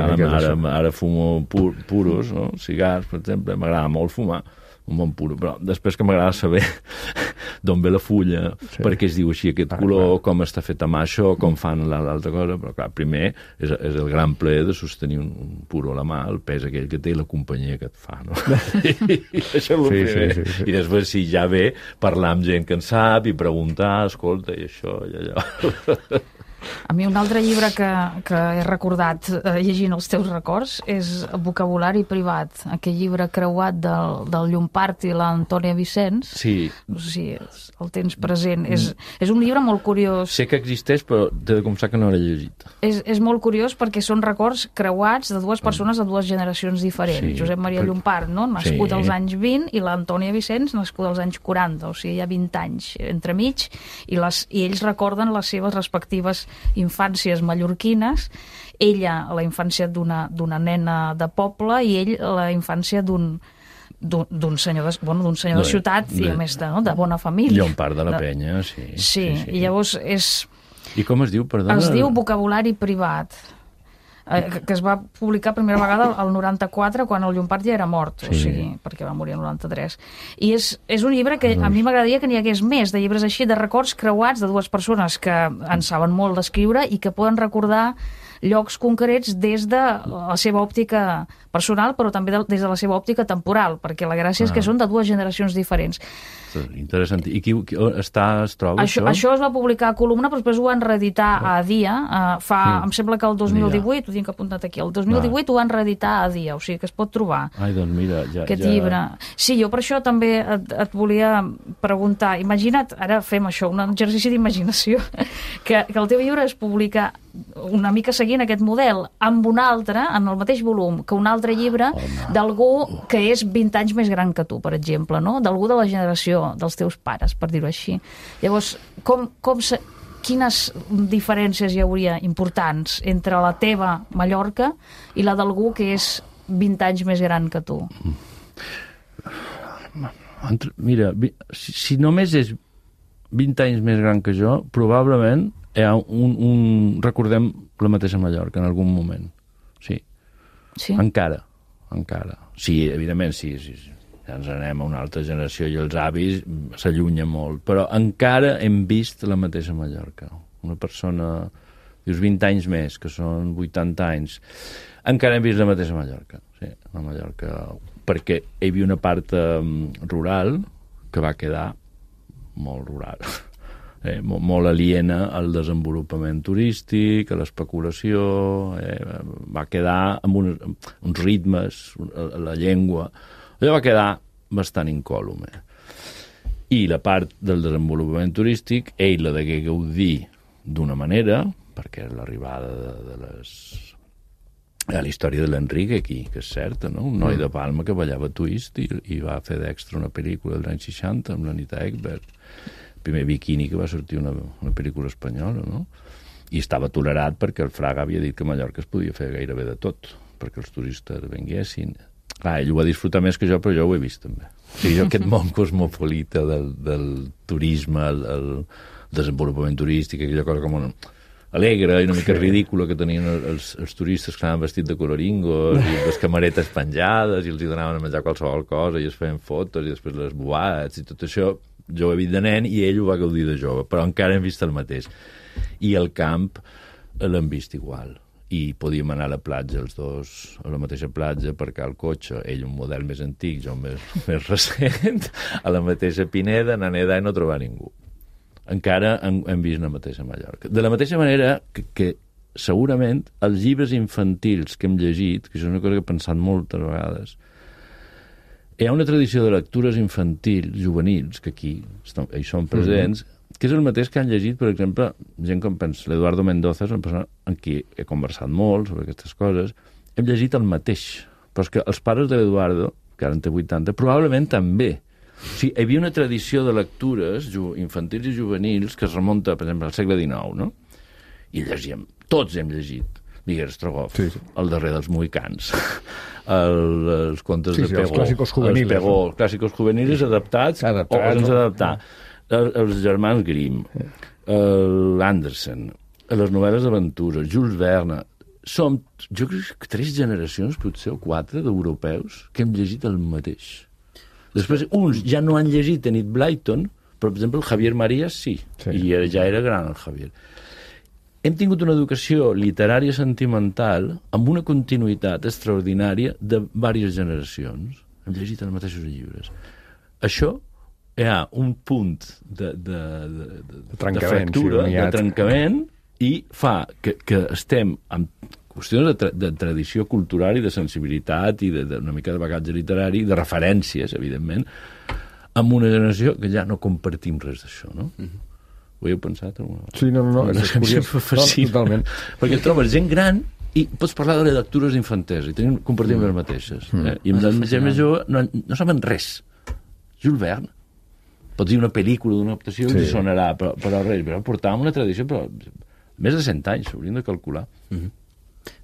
ara fumo puros, no? Cigars, per exemple, m'agrada molt fumar un bon puro, però després que m'agrada saber d'on ve la fulla, per què es diu així aquest color, com està fet a mà això, com fan l'altra cosa, però clar, primer és el gran plaer de sostenir un puro a la mà, el pes aquell que té i la companyia que et fa, no? I això és el primer. I després, si ja ve, parlar amb gent que en sap i preguntar, escolta, i això, i allò... A mi un altre llibre que he recordat llegint els teus records és Vocabulari privat, aquell llibre creuat del Llompart i l'Antònia Vicenç. Sí. No sé si el tens present. És un llibre molt curiós. Sé que existeix, però t'he de confessar que no l'he llegit. És molt curiós perquè són records creuats de dues persones de dues generacions diferents. Sí. Josep Maria Llompart, no? Nascut als anys 20, i l'Antònia Vicenç, nascuda als anys 40, o sigui, hi ha 20 anys entremig, i ells recorden les seves respectives infàncies mallorquines, ella la infància d'una nena de poble i ell la infància d'un senyor de ciutat i a més de bona família. Llompart de la Penya, sí. Sí, i llavors és... I com es diu, perdona? Es diu Vocabulari privat, que es va publicar primera vegada al 94, quan el Llompart ja era mort, o sigui, perquè va morir el 93. I és un llibre que a mi m'agradaria que n'hi hagués més, de llibres així, de records creuats de dues persones que en saben molt d'escriure i que poden recordar llocs concrets des de la seva òptica personal, però també des de la seva òptica temporal, perquè la gràcia és que són de dues generacions diferents. Interessant. I es troba això? Això es va publicar a Columna, però després ho van reeditar a Dia. Em sembla que el 2018, ho tinc apuntat aquí, el 2018 ho van reeditar a Dia, o sigui que es pot trobar. Ai, doncs mira, aquest llibre. Sí, jo per això també et volia preguntar. Imagina't, ara fem això, un exercici d'imaginació, que el teu llibre es publica una mica seguint aquest model, amb un altre, en el mateix volum, que un altre llibre d'algú que és 20 anys més gran que tu, per exemple, no? D'algú de la generació dels teus pares, per dir-ho així. Llavors, quines diferències hi hauria importants entre la teva Mallorca i la d'algú que és 20 anys més gran que tu? Mira, si només és 20 anys més gran que jo, probablement hi ha recordem la mateixa Mallorca en algun moment. Sí. Encara. Sí, evidentment, sí. Ja ens anem a una altra generació i els avis s'allunyen molt, però encara hem vist la mateixa Mallorca. Una persona Dius 20 anys més, que són 80 anys. Encara hem vist la mateixa Mallorca. Sí, la Mallorca, perquè hi havia una part rural que va quedar molt rural. Molt aliena al desenvolupament turístic, a l'especulació, va quedar amb uns ritmes, la llengua, allò va quedar bastant incòlume. I la part del desenvolupament turístic, ell la degué gaudir d'una manera, perquè és l'arribada de la història de l'Enrique aquí, que és certa, no? Un noi de Palma que ballava twist i va fer d'extra una pel·lícula dels anys 60 amb l'Anita Ekberg, primer Bikini que va sortir una pel·lícula espanyola, no? I estava tolerat perquè el Fraga havia dit que a Mallorca es podia fer gairebé de tot, perquè els turistes venguessin. Clar, ell ho va disfrutar més que jo, però jo ho he vist també. O sigui, jo aquest món cosmopolita del turisme, el desenvolupament turístic, aquella cosa com alegre i una mica ridícula que tenien els turistes que anaven vestits de coloringos i les camaretes penjades i els hi donaven a menjar qualsevol cosa i es feien fotos i després les boats i tot això. Jo ho he vist de nen i ell ho va gaudir de jove, però encara hem vist el mateix. I el camp l'hem vist igual. I podíem anar a la platja els dos, a la mateixa platja, aparcar el cotxe, ell un model més antic, jo més recent, a la mateixa Pineda, anar a nedar i no trobar ningú. Encara hem vist la mateixa Mallorca. De la mateixa manera que segurament els llibres infantils que hem llegit, que això és una cosa que he pensat moltes vegades, hi ha una tradició de lectures infantils, juvenils, que aquí hi són presents, que és el mateix que han llegit, per exemple, gent com l'Eduardo Mendoza, és una persona amb qui he conversat molt sobre aquestes coses, hem llegit el mateix. Però és que els pares de l'Eduardo, que ara en té 80, probablement també. O sigui, hi havia una tradició de lectures infantils i juvenils que es remunta, per exemple, al segle XIX, no? I llegíem, tots hem llegit Miguel Strogoff, el darrer dels mohicans, els contes de Pegó, els clàssicos juveniles, els clàssicos juveniles adaptats o sense adaptar, els germans Grimm, l'Andersen, les novel·les d'aventures, Jules Verne. Som, jo crec que 3 generacions, potser, o 4, d'europeus que hem llegit el mateix. Després, uns ja no han llegit Enid Blyton, però, per exemple, el Javier Marías sí. I ja era gran el Javier. Hem tingut una educació literària sentimental amb una continuïtat extraordinària de diverses generacions. Hem llegit els mateixos llibres. Això hi ha un punt de fractura, de trencament, i fa que estem amb qüestions de tradició cultural i de sensibilitat i d'una mica de bagatge literari, de referències, evidentment, amb una generació que ja no compartim res d'això, no? Ho heu pensat alguna vegada? Sí, no, és curiós. Totalment. Perquè trobes gent gran i pots parlar de les lectures infantesa i compartim les mateixes. I amb la gent més jove no saben res. Jules Verne. Pots dir una pel·lícula d'una adaptació i sonarà, però res. Però portàvem una tradició, però més de 100 anys, s'haurien de calcular.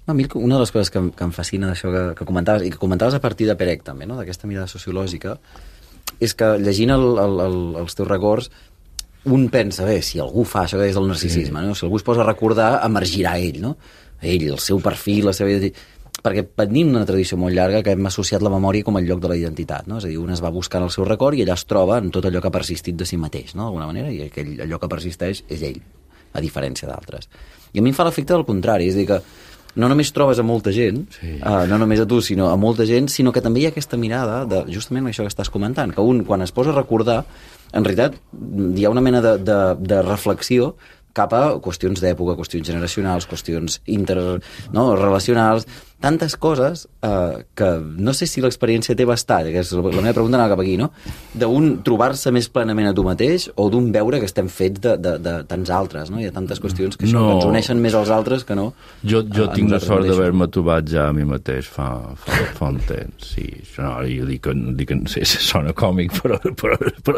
A mi una de les coses que em fascina d'això que comentaves, i que comentaves a partir de Perec també, no? D'aquesta mirada sociològica, és que llegint els teus records un pensa, bé, si algú fa això que és el narcisisme, no? Si algú es posa a recordar, emergirà ell, no? Ell, el seu perfil, la seva... Perquè venim d'una tradició molt llarga que hem associat la memòria com el lloc de la identitat, no? És a dir, un es va buscant el seu record i allà es troba en tot allò que ha persistit de si mateix, no? D'alguna manera, i allò que persisteix és ell, a diferència d'altres. I a mi em fa l'efecte del contrari, és a dir, que no només trobes a molta gent, no només a tu, sinó a molta gent, sinó que també hi ha aquesta mirada de justament això que estàs comentant, que un, quan es posa a recordar, en realitat hi ha una mena de reflexió cap a qüestions d'època, qüestions generacionals, qüestions relacionals, tantes coses que no sé si l'experiència té bastat, que és la meva pregunta anava cap aquí, no? D'un trobar-se més plenament a tu mateix o d'un veure que estem fets de tants altres, no? Hi ha tantes qüestions que, que ens uneixen més als altres que no. Jo tinc la sort d'haver-me trobat ja a mi mateix fa un temps, sí. No, jo dic que no sé si sona còmic, però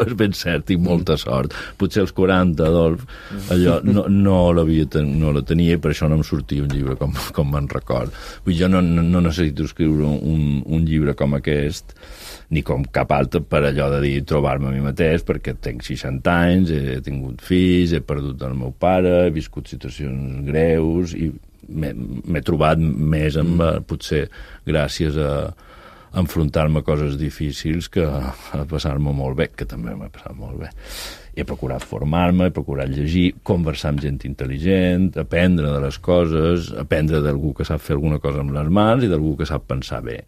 és ben cert, tinc molta sort. Potser als 40, Adolf, allò no la tenia i per això no em sortia un llibre com me'n record. Vull dir, jo no necessito escriure un llibre com aquest ni com cap altre per allò de dir trobar-me a mi mateix, perquè tenc 60 anys, he tingut fills, he perdut el meu pare, he viscut situacions greus i m'he trobat més potser gràcies enfrontar-me a coses difícils que a passar-me molt bé, que també m'ha passat molt bé. He procurat formar-me, he procurat llegir, conversar amb gent intel·ligent, aprendre de les coses, aprendre d'algú que sap fer alguna cosa amb les mans i d'algú que sap pensar bé.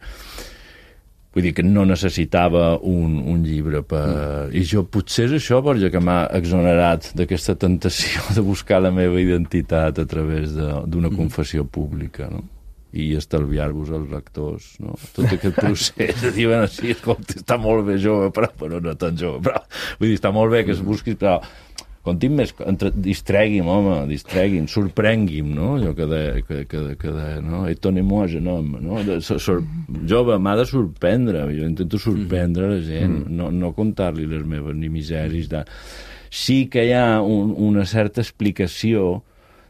Vull dir que no necessitava un llibre per... I jo potser és això perquè que m'ha exonerat d'aquesta tentació de buscar la meva identitat a través d'una confessió pública, no? I estalviar-vos els lectors, no? Tot aquest procés de dir, bueno, sí, escolta, està molt bé jove, però no tan jove, però vull dir, està molt bé que es busquis, però conti'm més, distregui'm, home, distregui'm, sorprengui'm, no? Allò que de no? Étonnez-moi, jeune homme, no? Jove, m'ha de sorprendre, jo intento sorprendre la gent, no contar-li les meves ni misèries. Sí que hi ha una certa explicació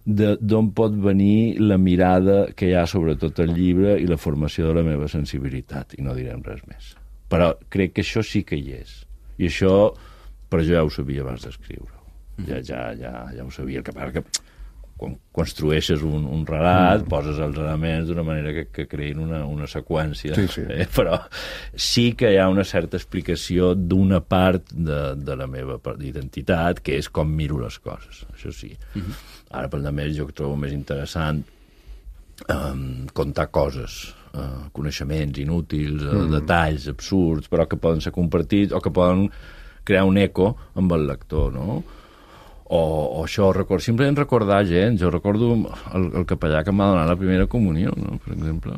d'on pot venir la mirada que hi ha sobre tot el llibre i la formació de la meva sensibilitat, i no direm res més. Però crec que això sí que hi és. I això, però jo ja ho sabia abans d'escriure-ho. Ja ho sabia. El que passa que quan construeixes un relat, poses els elements d'una manera que creïn una seqüència. Sí. Però sí que hi ha una certa explicació d'una part de la meva identitat, que és com miro les coses. Això sí. Ara, per a més, jo trobo més interessant contar coses, coneixements inútils, detalls absurds, però que poden ser compartits o que poden crear un eco amb el lector, no? O això, simplement recordar gent. Jo recordo el capellà que m'ha donat la primera comunió, no? Per exemple.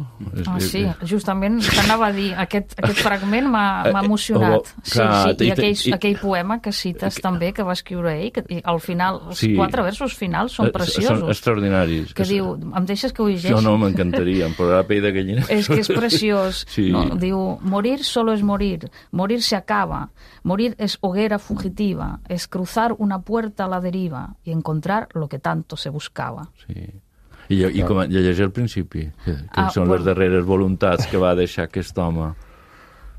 Sí, justament t'anava a dir, aquest fragment m'ha emocionat. I aquell poema que cites també, que va escriure ell, que al final, els 4 versos finals són preciosos. Són extraordinaris. Que diu, em deixes que ho llegeixi? No, m'encantaria, em posarà pell de gallina. És que és preciós. Diu, morir solo es morir, morir se acaba, morir es hoguera fugitiva, es cruzar una puerta a la deriva y encontrar lo que tanto se buscava. Sí. I com llegeix al principi, que són les darreres voluntats que va deixar aquest home.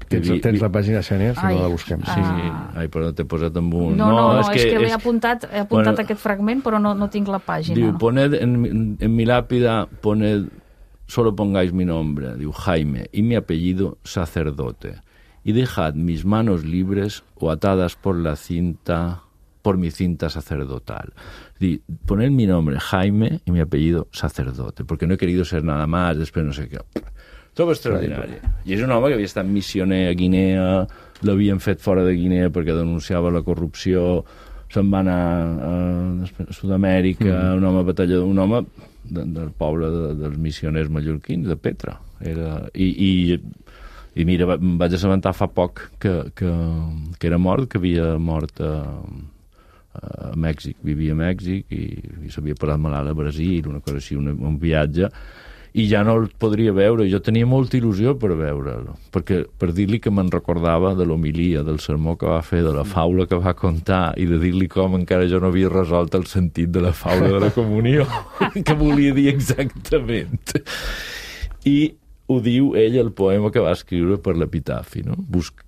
Tens la pàgina, Xènia, si no la busquem. Sí. Però t'he posat amb un... No, és que he apuntat aquest fragment, però no tinc la pàgina. Diu, poned en mi lápida, solo pongáis mi nombre, diu Jaime, y mi apellido sacerdote, y dejad mis manos libres o atadas por mi cinta sacerdotal. Poner mi nombre, Jaime, y mi apellido, sacerdote, porque no he querido ser nada más, després no sé què. Trobo extraordinari. I és un home que havia estat missioner a Guinea, l'havien fet fora de Guinea perquè denunciava la corrupció, se'n va anar a Sud-amèrica, un home batallador, un home del poble dels missioners mallorquins, de Petra. I mira, em vaig assabentar fa poc que era mort, que havia mort a Mèxic, vivia a Mèxic i s'havia parat malalt a Brasil, una cosa així, un viatge, i ja no el podria veure. Jo tenia molta il·lusió per veure'l, perquè per dir-li que me'n recordava de l'homilia, del sermó que va fer, de la faula que va contar, i de dir-li com encara jo no havia resolt el sentit de la faula de la comunió, que volia dir exactament. I ho diu ell el poema que va escriure per l'epitafi, no?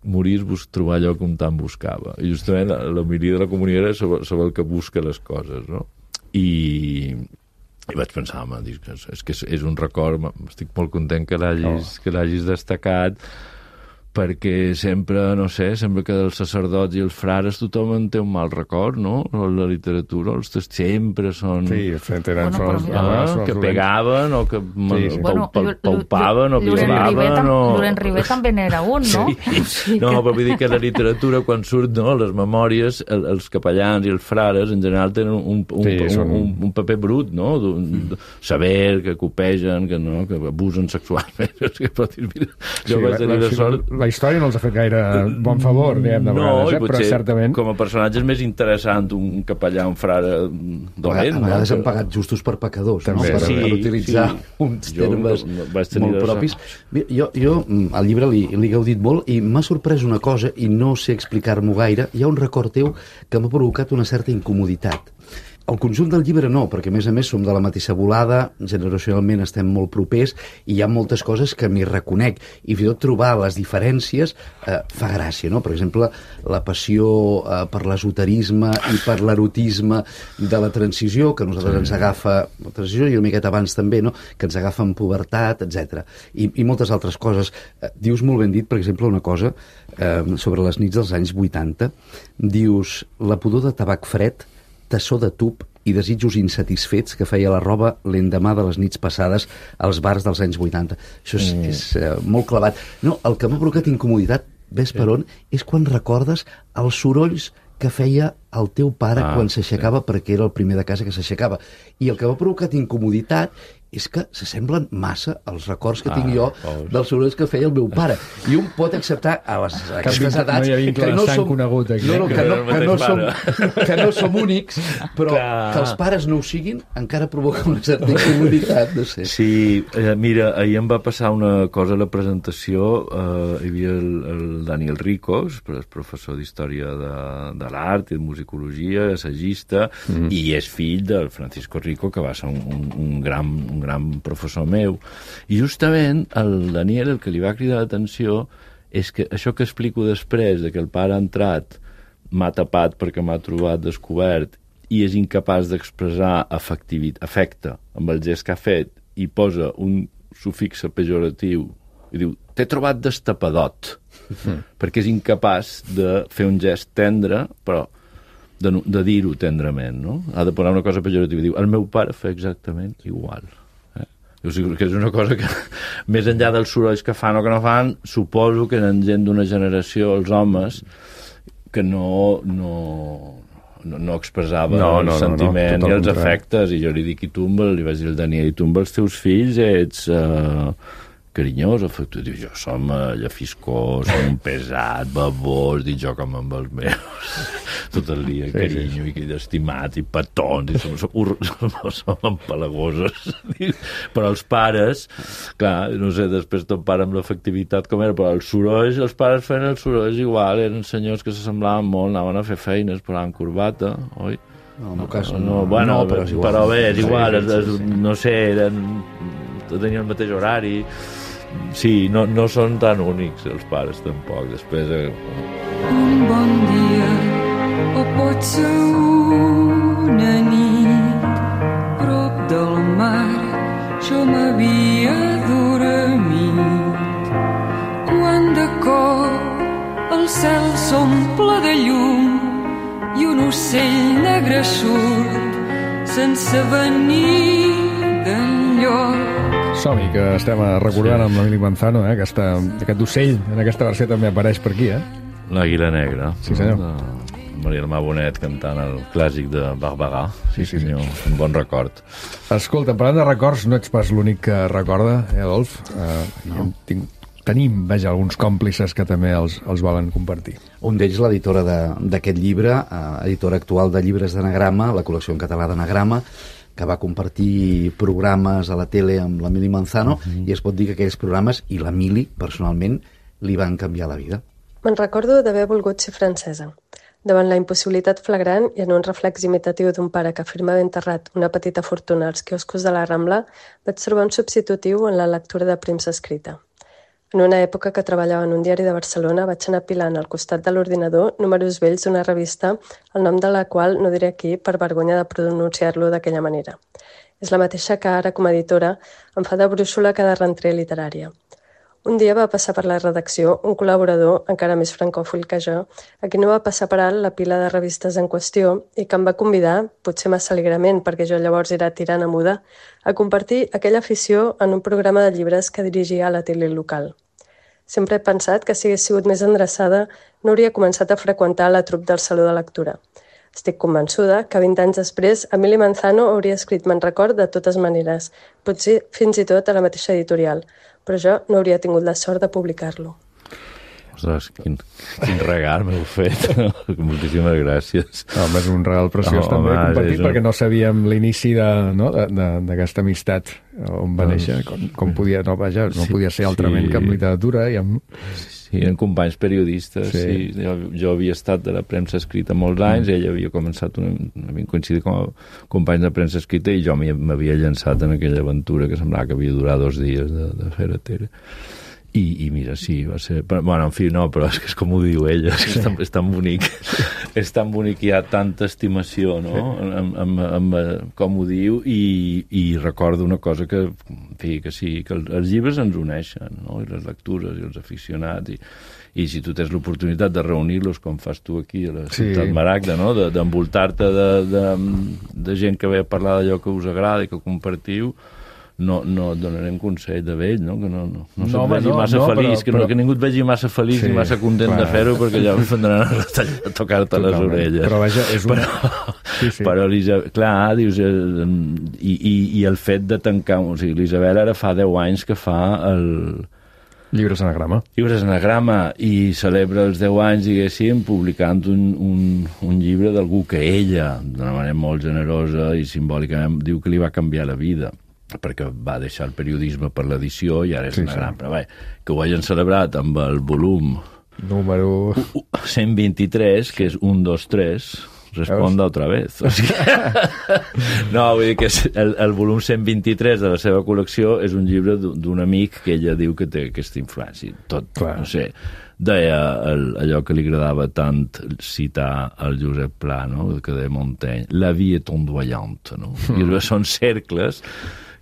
Morir és trobar allò que un tant buscava. I justament l'homilia de la comunió era sobre el que busca les coses, no? I vaig pensar, home, és que és un record, estic molt content que l'hagis destacat, perquè sempre, no sé, sembla que dels sacerdots i els frares tothom en té un mal record, no? La literatura, els sempre són... Sí, tenen que pegaven o que paupaven o violaven o... Llorenç Ribé també n'era un, no? Sí. No, però vull dir que la literatura, quan surt, no, les memòries, els capellans i els frares, en general, tenen un paper brut, no? Saber, que copegen, que abusen sexualment. Jo vaig tenir la sort... La història no els ha fet gaire bon favor, diguem, de vegades, però certament... com a personatge és més interessant un capellà, un frare dolent. A vegades han pagat justos per pecadors, no? Per utilitzar uns termes molt propis. Jo al llibre li he gaudit molt i m'ha sorprès una cosa, i no sé explicar-m'ho gaire. Hi ha un record teu que m'ha provocat una certa incomoditat. El conjunt del llibre no, perquè a més som de la mateixa volada, generacionalment estem molt propers i hi ha moltes coses que m'hi reconec i fins i tot trobar les diferències fa gràcia, no? Per exemple, la passió per l'esoterisme i per l'erotisme de la transició, que a nosaltres ens agafa la transició i una miqueta abans també, no? Que ens agafa en pubertat, etc. I moltes altres coses. Dius molt ben dit, per exemple, una cosa sobre les nits dels anys 80. Dius, la pudor de tabac fred, tassó de tub i desitjos insatisfets que feia la roba l'endemà de les nits passades als bars dels anys 80. Això és molt clavat. No, el que m'ha provocat incomoditat, ves per on, és quan recordes els sorolls que feia el teu pare quan s'aixecava, perquè era el primer de casa que s'aixecava. I el que m'ha provocat incomoditat és que s'assemblen massa als records que tinc jo dels sorolls que feia el meu pare. I un pot acceptar a aquestes edats que no som conegut aquí, que no som únics, però que els pares no ho siguin encara provoca una certa incomoditat, no sé. Sí, mira, ahir em va passar una cosa a la presentació. Hi havia el Daniel Ricos, professor d'Història de l'Art i de Musicologia, assagista, i és fill del Francisco Rico, que va ser un gran professor meu, i justament el Daniel el que li va cridar l'atenció és que això que explico després, de que el pare ha entrat, m'ha tapat perquè m'ha trobat descobert i és incapaç d'expressar afecte amb el gest que ha fet i posa un sufix pejoratiu i diu, t'he trobat destapadot, perquè és incapaç de fer un gest tendre, però de dir-ho tendrament, no? Ha de posar una cosa pejorativa i diu, el meu pare fa exactament igual. O sigui, que és una cosa que, més enllà dels sorolls que fan o que no fan, suposo que eren gent d'una generació, els homes, que no expressava el sentiment i els afectes. I jo li dic, li vaig dir al Daniel, i tu amb els teus fills ets carinyós, afectuós. Jo som llafiscós, som un pesat, babós, dic jo com amb els meus, tot el dia, carinyo, i estimat, i petons, i som empalagosos. Però els pares, clar, no sé, després ton pare amb l'efectivitat com era, però els sorolls, els pares feien els sorolls igual, eren senyors que s'assemblaven molt, anaven a fer feines, posaven corbata, oi? No, en el cas però bé, és igual, no sé, tenien el mateix horari. Sí, no són tan únics els pares tampoc. Després un bon dia o pot ser una nit prop del mar, jo m'havia dormit quan de cop el cel s'omple de llum i un ocell negre surt sense venir d'enlloc. Som-hi, que estem recordant amb l'Emili Manzano, que aquest ocell en aquesta versió també apareix per aquí, L'Àguila Negra. Sí, senyor. Maria Almà Bonet cantant el clàssic de Barberà. Sí, senyor. Un bon record. Escolta, parlant de records, no ets pas l'únic que recorda, Adolf? Tenim, alguns còmplices que també els volen compartir. Un d'ells, l'editora d'aquest llibre, editora actual de llibres d'anagrama, la col·lecció en català d'anagrama, que va compartir programes a la tele amb l'Emili Manzano, i es pot dir que aquells programes, i l'Emili, personalment, li van canviar la vida. Me'n recordo d'haver volgut ser francesa. Davant la impossibilitat flagrant i en un reflex imitatiu d'un pare que afirmava enterrat una petita fortuna als quioscos de la Rambla, vaig trobar un substitutiu en la lectura de premsa escrita. En una època que treballava en un diari de Barcelona, vaig anar apilant al costat de l'ordinador números vells d'una revista, el nom de la qual no diré aquí per vergonya de pronunciar-lo d'aquella manera. És la mateixa que ara, com a editora, em fa de brúixola cada rentrée literària. Un dia va passar per la redacció un col·laborador, encara més francòfil que jo, a qui no va passar per alt la pila de revistes en qüestió i que em va convidar, potser massa alegrement perquè jo llavors era tirana muda, a compartir aquella afició en un programa de llibres que dirigia a la tele local. Sempre he pensat que si hagués sigut més endreçada no hauria començat a freqüentar la trup del Saló de Lectura. Estic convençuda que 20 anys després Emili Manzano hauria escrit Me'n record de totes maneres, potser fins i tot a la mateixa editorial, però jo no hauria tingut la sort de publicar-lo. Ostres, quin regal m'heu fet. Moltíssimes gràcies. Home, és un regal preciós també compartit, perquè no sabíem l'inici d'aquesta amistat on va néixer, com podia, no podia ser altrament que en literatura i amb... eren companys periodistes, sí. Jo havia estat de la premsa escrita molts anys, ell havia començat, havien coincidit com a companys de premsa escrita i jo m'havia llançat en aquella aventura que semblava que havia durat 2 dies de fer a Tere. I mira, sí, va ser... Bueno, en fi, no, però és que és com ho diu ella, és tan bonic. És tan bonic, hi ha tanta estimació, no?, amb com ho diu, i recordo una cosa que, en fi, que sí, que els llibres ens uneixen, no?, i les lectures, i els aficionats, i si tu tens l'oportunitat de reunir-los, com fas tu aquí a la Ciutat Maragda, no?, d'envoltar-te de gent que ve a parlar d'allò que us agrada i que compartiu, no et donarem consell de vell, no? Que no se't vegi massa feliç, que ningú et vegi massa feliç ni massa content de fer-ho, perquè ja em vendran a tocar-te les orelles. Però vaja, és una... Però clar, dius... I el fet de tancar... O sigui, l'Isabel ara fa 10 anys que fa el... Llibres Anagrama. Llibres Anagrama, i celebra els 10 anys, diguéssim, publicant un llibre d'algú que ella, d'una manera molt generosa i simbòlicament, diu que li va canviar la vida, perquè va deixar el periodisme per l'edició i ara és Anagrama. Però bé, que ho hagin celebrat amb el volum número 123, que és 1, 2, 3, responda otra vez. O sigui... No, vull dir que el volum 123 de la seva col·lecció és un llibre d'un amic que ella diu que té aquesta influència. Tot, no sé, deia allò que li agradava tant citar el Josep Pla, no?, que deia Montaigne, la vie est ondoyante, no? I són cercles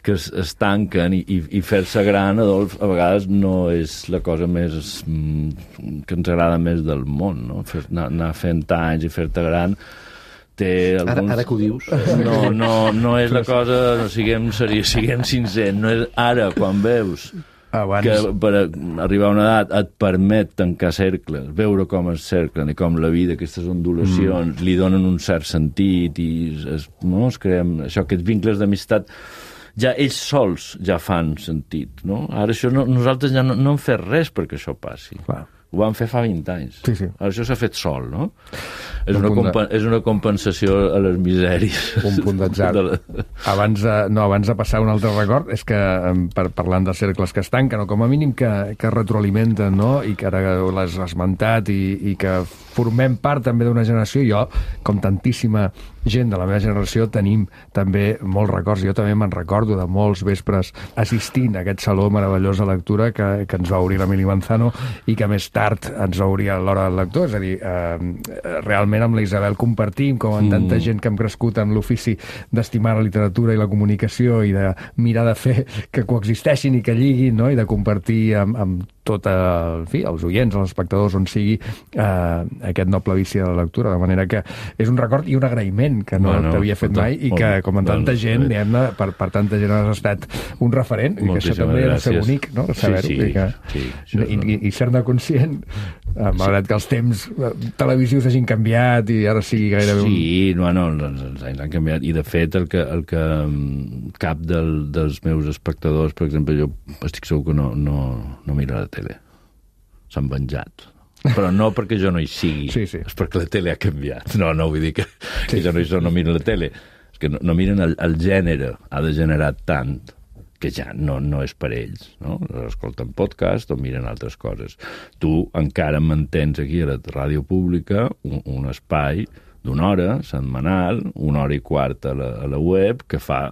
que es tanquen, i fer-se gran, Adolf, a vegades no és la cosa més que ens agrada més del món, no? Anar fent anys i fer-te gran té alguns... Ara que ho dius. No és la cosa, no siguem sincers, no és ara, quan veus que per arribar a una edat et permet tancar cercles, veure com es cerclen i com la vida, aquestes ondulacions, li donen un cert sentit i es creen això, aquests vincles d'amistat, ja ells sols ja fan sentit, no? Ara això nosaltres ja no hem fet res perquè això passi. Clar. Ho vam fer fa 20 anys. Sí. Ara això s'ha fet sol, no? És una compensació a les misèries. Un punt d'atzar. Abans de passar un altre record, és que parlant de cercles que es tanquen, o com a mínim que retroalimenten, no?, i que ara l'has esmentat, i que formem part també d'una generació, jo, com tantíssima gent de la meva generació, tenim també molts records. Jo també me'n recordo de molts vespres assistint a aquest saló meravellós de lectura que ens va obrir l'Emili Manzano i que més tard ens va obrir a l'Hora del Lector. És a dir, realment amb la Isabel compartim, com amb tanta gent que hem crescut en l'ofici d'estimar la literatura i la comunicació i de mirar de fer que coexisteixin i que lliguin, no?, i de compartir amb tot els oients, els espectadors, on sigui aquest noble vici de la lectura, de manera que és un record i un agraïment que no t'havia fet mai, i que com a tanta gent, diguem-ne, per tanta gent has estat un referent, i que això també ha de ser bonic, no?, saber-ho, i ser-ne conscient, malgrat que els temps televisius hagin canviat i ara sigui gairebé un... Sí, els anys han canviat, i de fet el que cap dels meus espectadors, per exemple, jo estic segur que no mira la tele. S'han venjat. Però no perquè jo no hi sigui, és perquè la tele ha canviat. No vull dir que jo no miro la tele. És que no miren el gènere, ha degenerat tant que ja no és per ells, no? Escolten podcast o miren altres coses. Tu encara mantens aquí a la ràdio pública un espai d'una hora setmanal, 1 hora i quart a la web, que fa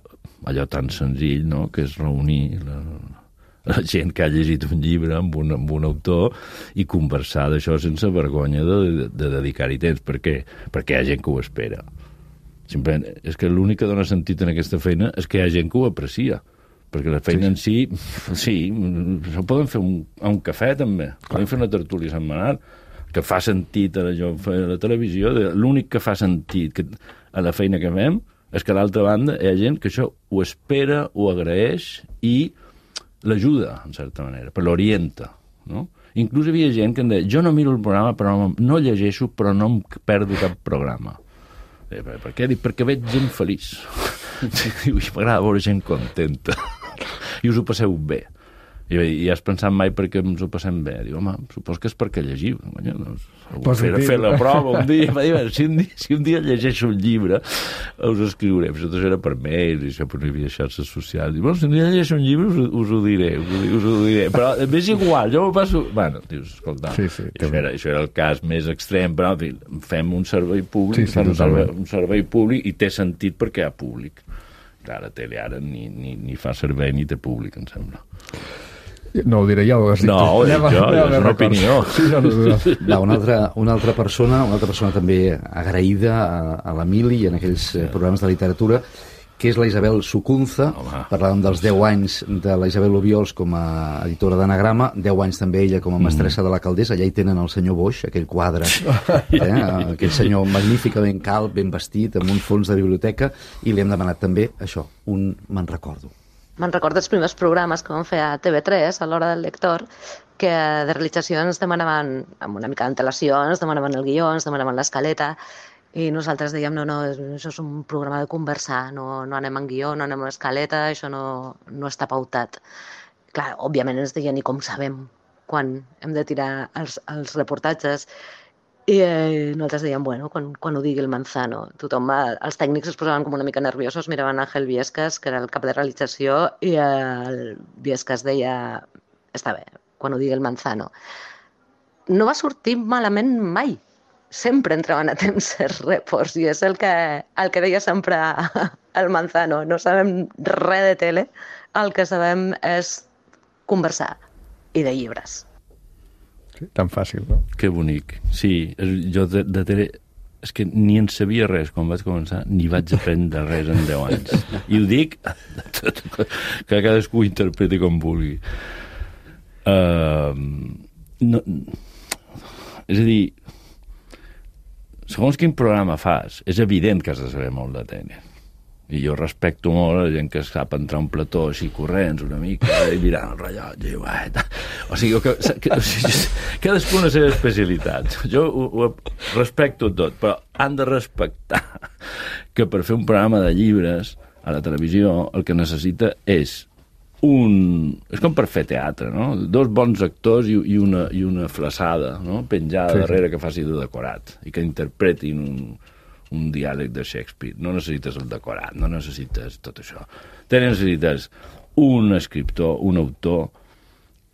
allò tan senzill, no?, que és reunir la gent que ha llegit un llibre amb un autor i conversar d'això sense vergonya de dedicar-hi temps. Per què? Perquè hi ha gent que ho espera. Simplement, és que l'únic que dona sentit en aquesta feina és que hi ha gent que ho aprecia. Perquè la feina en si, això poden fer un cafè també, poden fer una tertúlia setmanal, que fa sentit a la televisió. L'únic que fa sentit a la feina que fem és que a l'altra banda hi ha gent que això ho espera, ho agraeix i l'ajuda, en certa manera, però l'orienta, no? Inclús hi havia gent que em deia, jo no miro el programa, però no llegeixo, però no em perdo cap programa. Per què? Perquè veig gent feliç. I m'agrada veure gent contenta. I us ho passeu bé. I has pensat mai perquè ens ho passem bé? Diu, home, supos que és perquè llegiu. Fer la prova un dia. Si un dia llegeixo un llibre, us escriuré. Això tot era per mails, i això per les xarxes socials. Diu, si un dia llegeixo un llibre, us ho diré. Però és igual, jo m'ho passo... Bueno, dius, escolta, això era el cas més extrem, però en fi, fem un servei públic, un servei públic i té sentit perquè hi ha públic. Clar, la tele ara ni fa servei ni té públic, em sembla. No ho diré ja, ho has dit. No, és una opinió. Una altra persona també agraïda a l'Emili i en aquells programes de literatura, que és la Isabel Sucunza. Parlàvem dels 10 anys de la Isabel Obiols com a editora d'Anagrama, 10 anys també ella com a mestressa de la Caldés. Allà hi tenen el senyor Boix, aquell quadre, aquell senyor magníficament calb, ben vestit, amb un fons de biblioteca, i li hem demanat també això, un me'n recordo. Me'n recordo els primers programes que vam fer a TV3, a l'hora del lector, que de realització ens demanaven, amb una mica d'antelació, ens demanaven el guió, ens demanaven l'escaleta, i nosaltres dèiem, no, això és un programa de conversar, no anem en guió, no anem en escaleta, això no està pautat. Clar, òbviament ens deien, i com sabem quan hem de tirar els reportatges, i nosaltres dèiem, bueno, quan ho digui el Manzano. Els tècnics es posaven com una mica nerviosos, miraven Ángel Viescas, que era el cap de realització, i el Viescas deia, està bé, quan ho digui el Manzano. No va sortir malament mai. Sempre entraven a temps els reports, i és el que deia sempre el Manzano. No sabem res de tele, el que sabem és conversar, i de llibres. Tan fàcil, no? Que bonic. Sí, jo de tele és que ni en sabia res quan vaig començar, ni vaig aprendre res en 10 anys. I ho dic que cadascú ho interpreti com vulgui. És a dir, segons quin programa fas, és evident que has de saber molt de tele. I jo respecto molt la gent que sap entrar a un plató així corrents una mica i mirant el rellotge. O sigui, cadascú una seva especialitat. Jo ho respecto tot, però han de respectar que per fer un programa de llibres a la televisió el que necessita és és com per fer teatre, no? 2 bons actors i una flaçada, no? Penjada darrere que faci de decorat i que interpretin un diàleg de Shakespeare. No necessites el decorat, no necessites tot això. Necessites un escriptor, un autor,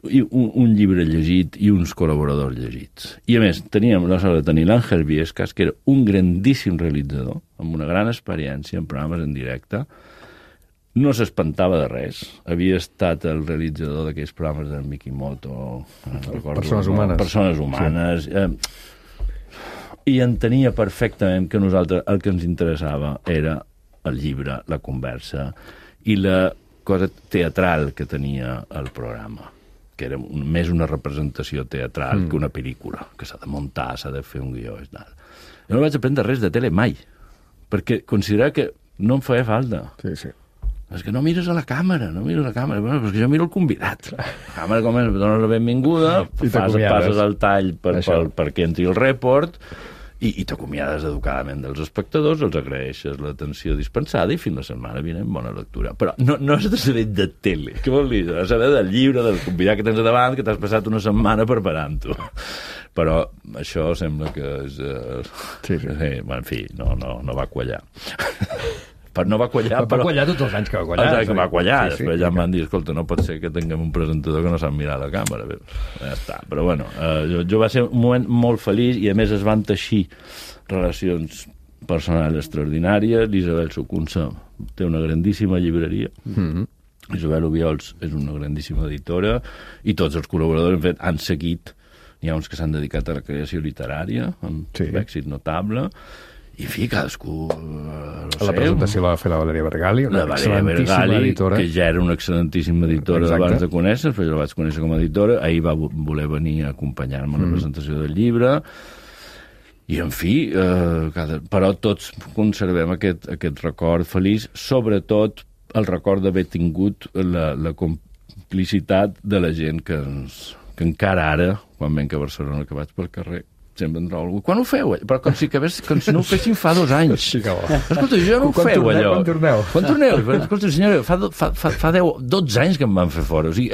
i un llibre llegit i uns col·laboradors llegits. I a més, teníem la sort de tenir l'Àngel Viescas, que era un grandíssim realitzador, amb una gran experiència en programes en directe. No s'espantava de res. Havia estat el realitzador d'aquells programes del Mikimoto. Persones humanes. Persones humanes. Sí. I entenia perfectament que nosaltres el que ens interessava era el llibre, la conversa i la cosa teatral que tenia el programa, que era més una representació teatral que una pel·lícula, que s'ha de muntar, s'ha de fer un guió i tal. Jo no vaig aprendre res de tele mai, perquè considerava que no em feia falta. Sí. És que no mires a la càmera. Bueno, però és que jo miro el convidat. La càmera comença, dones la benvinguda, passes el tall perquè entri el report, i t'acomiades educadament dels espectadors, els agraeixes l'atenció dispensada i fins la setmana vinent bona lectura. Però no has de saber de tele. Què vol dir? Has de saber del llibre, del convidat que tens davant, que t'has passat una setmana preparant-ho. Però això sembla que és... En fi, no va quallar. No va quallar, però... Va quallar tots els anys que va quallar. Que va quallar, després ja em van dir, escolta, no pot ser que tinguem un presentador que no sap mirar la càmera. Ja està, però bueno, jo va ser un moment molt feliç i a més es van teixir relacions personals extraordinàries. L'Isabel Sucunza té una grandíssima llibreria. Isabel Obiols és una grandíssima editora i tots els col·laboradors, en fet, han seguit. N'hi ha uns que s'han dedicat a la creació literària, amb èxit notable. I, en fi, cadascú la presentació la va fer la Valeria Bergali, una excel·lentíssima editora. Que ja era una excel·lentíssima editora abans de conèixer, però jo la vaig conèixer com a editora. Ahir va voler venir a acompanyar-me a la presentació del llibre. I, en fi, però tots conservem aquest record feliç, sobretot el record d'haver tingut la complicitat de la gent que encara ara, quan venc a Barcelona, que vaig pel carrer, sempre em trobo algú. Quan ho feu? Però com si no ho fessin fa 2 anys. Escolta, jo no ho feu, allò. Quan torneu? Escolta, senyora, fa 12 anys que em van fer fora. O sigui,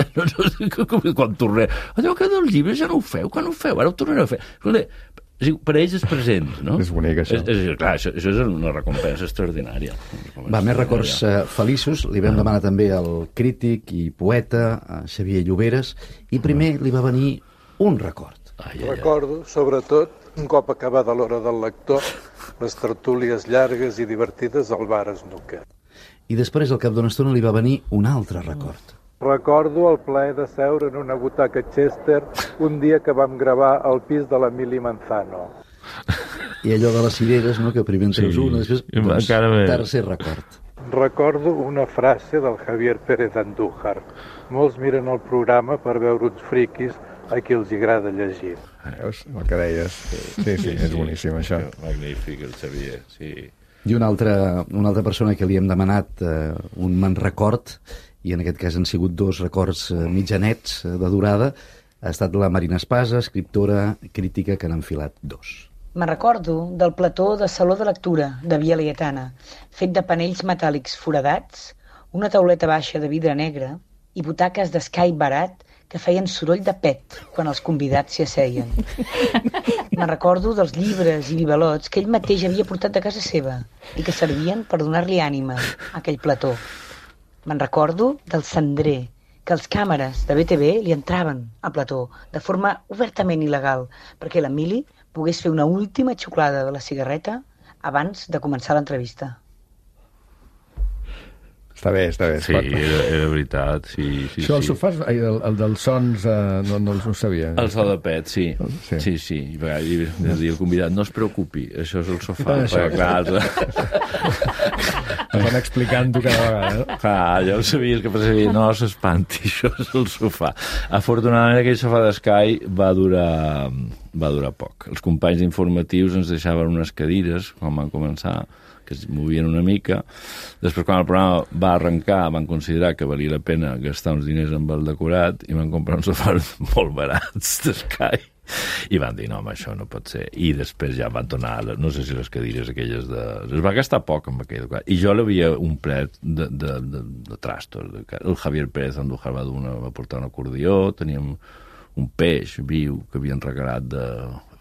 quan torneu? Allò que dels llibres ja no ho feu. Quan ho feu? Ara ho tornareu a fer. Escolta, per ells és present, no? És bonic, això. Clar, això és una recompensa extraordinària. Més records feliços. Li vam demanar també al crític i poeta Xavier Lloberes, i primer li va venir un record. Recordo, sobretot, un cop acabada l'hora del lector, les tertúlies llargues i divertides al bar Snooker. I després, al cap d'una estona, li va venir un altre record. Recordo el plaer de seure en una butaca Chester un dia que vam gravar al pis de l'Emili Manzano. I allò de les cireres, no?, que primer en treus una, després, tercer record. Recordo una frase del Javier Pérez Andújar. Molts miren el programa per veure uns friquis a qui els agrada llegir. Veus el que deies? Sí, és boníssim, això. Magnífic, el Xavier, sí. I una altra persona que li hem demanat un me'n record, i en aquest cas han sigut 2 records mitjanets de durada, ha estat la Marina Espasa, escriptora crítica, que n'ha enfilat 2. Me'n recordo del plató de Saló de Lectura de Via Laietana, fet de panells metàl·lics foradats, una tauleta baixa de vidre negre i butaques d'escai barat que feien soroll de pet quan els convidats s'hi asseien. Me'n recordo dels llibres i bibalots que ell mateix havia portat de casa seva i que servien per donar-li ànima a aquell plató. Me'n recordo del cendrer, que els càmeres de BTV li entraven al plató de forma obertament il·legal perquè l'Emili pogués fer una última xuclada de la cigarreta abans de començar l'entrevista. Està bé. Sí, era veritat, sí. Això del sofà, el dels sons, no ho sabia. El so de pet, sí. I el convidat, no es preocupi, això és el sofà. Van explicant-ho cada vegada. Clar, ja ho sabies que passaria, no s'espanti, això és el sofà. Afortunadament aquell sofà d'Escai va durar poc. Els companys informatius ens deixaven unes cadires, quan van començar, que es movien una mica. Després, quan el programa va arrencar, van considerar que valia la pena gastar uns diners amb el decorat i van comprar uns sofàs molt barats d'Escai. I van dir, no, home, això no pot ser. I després ja van tornar, no sé si les cadires aquelles de... Es va gastar poc amb aquell decorat. I jo l'havia un plet de trastos. El Javier Pérez Andújar va portar un acordió, teníem un peix viu que havien regalat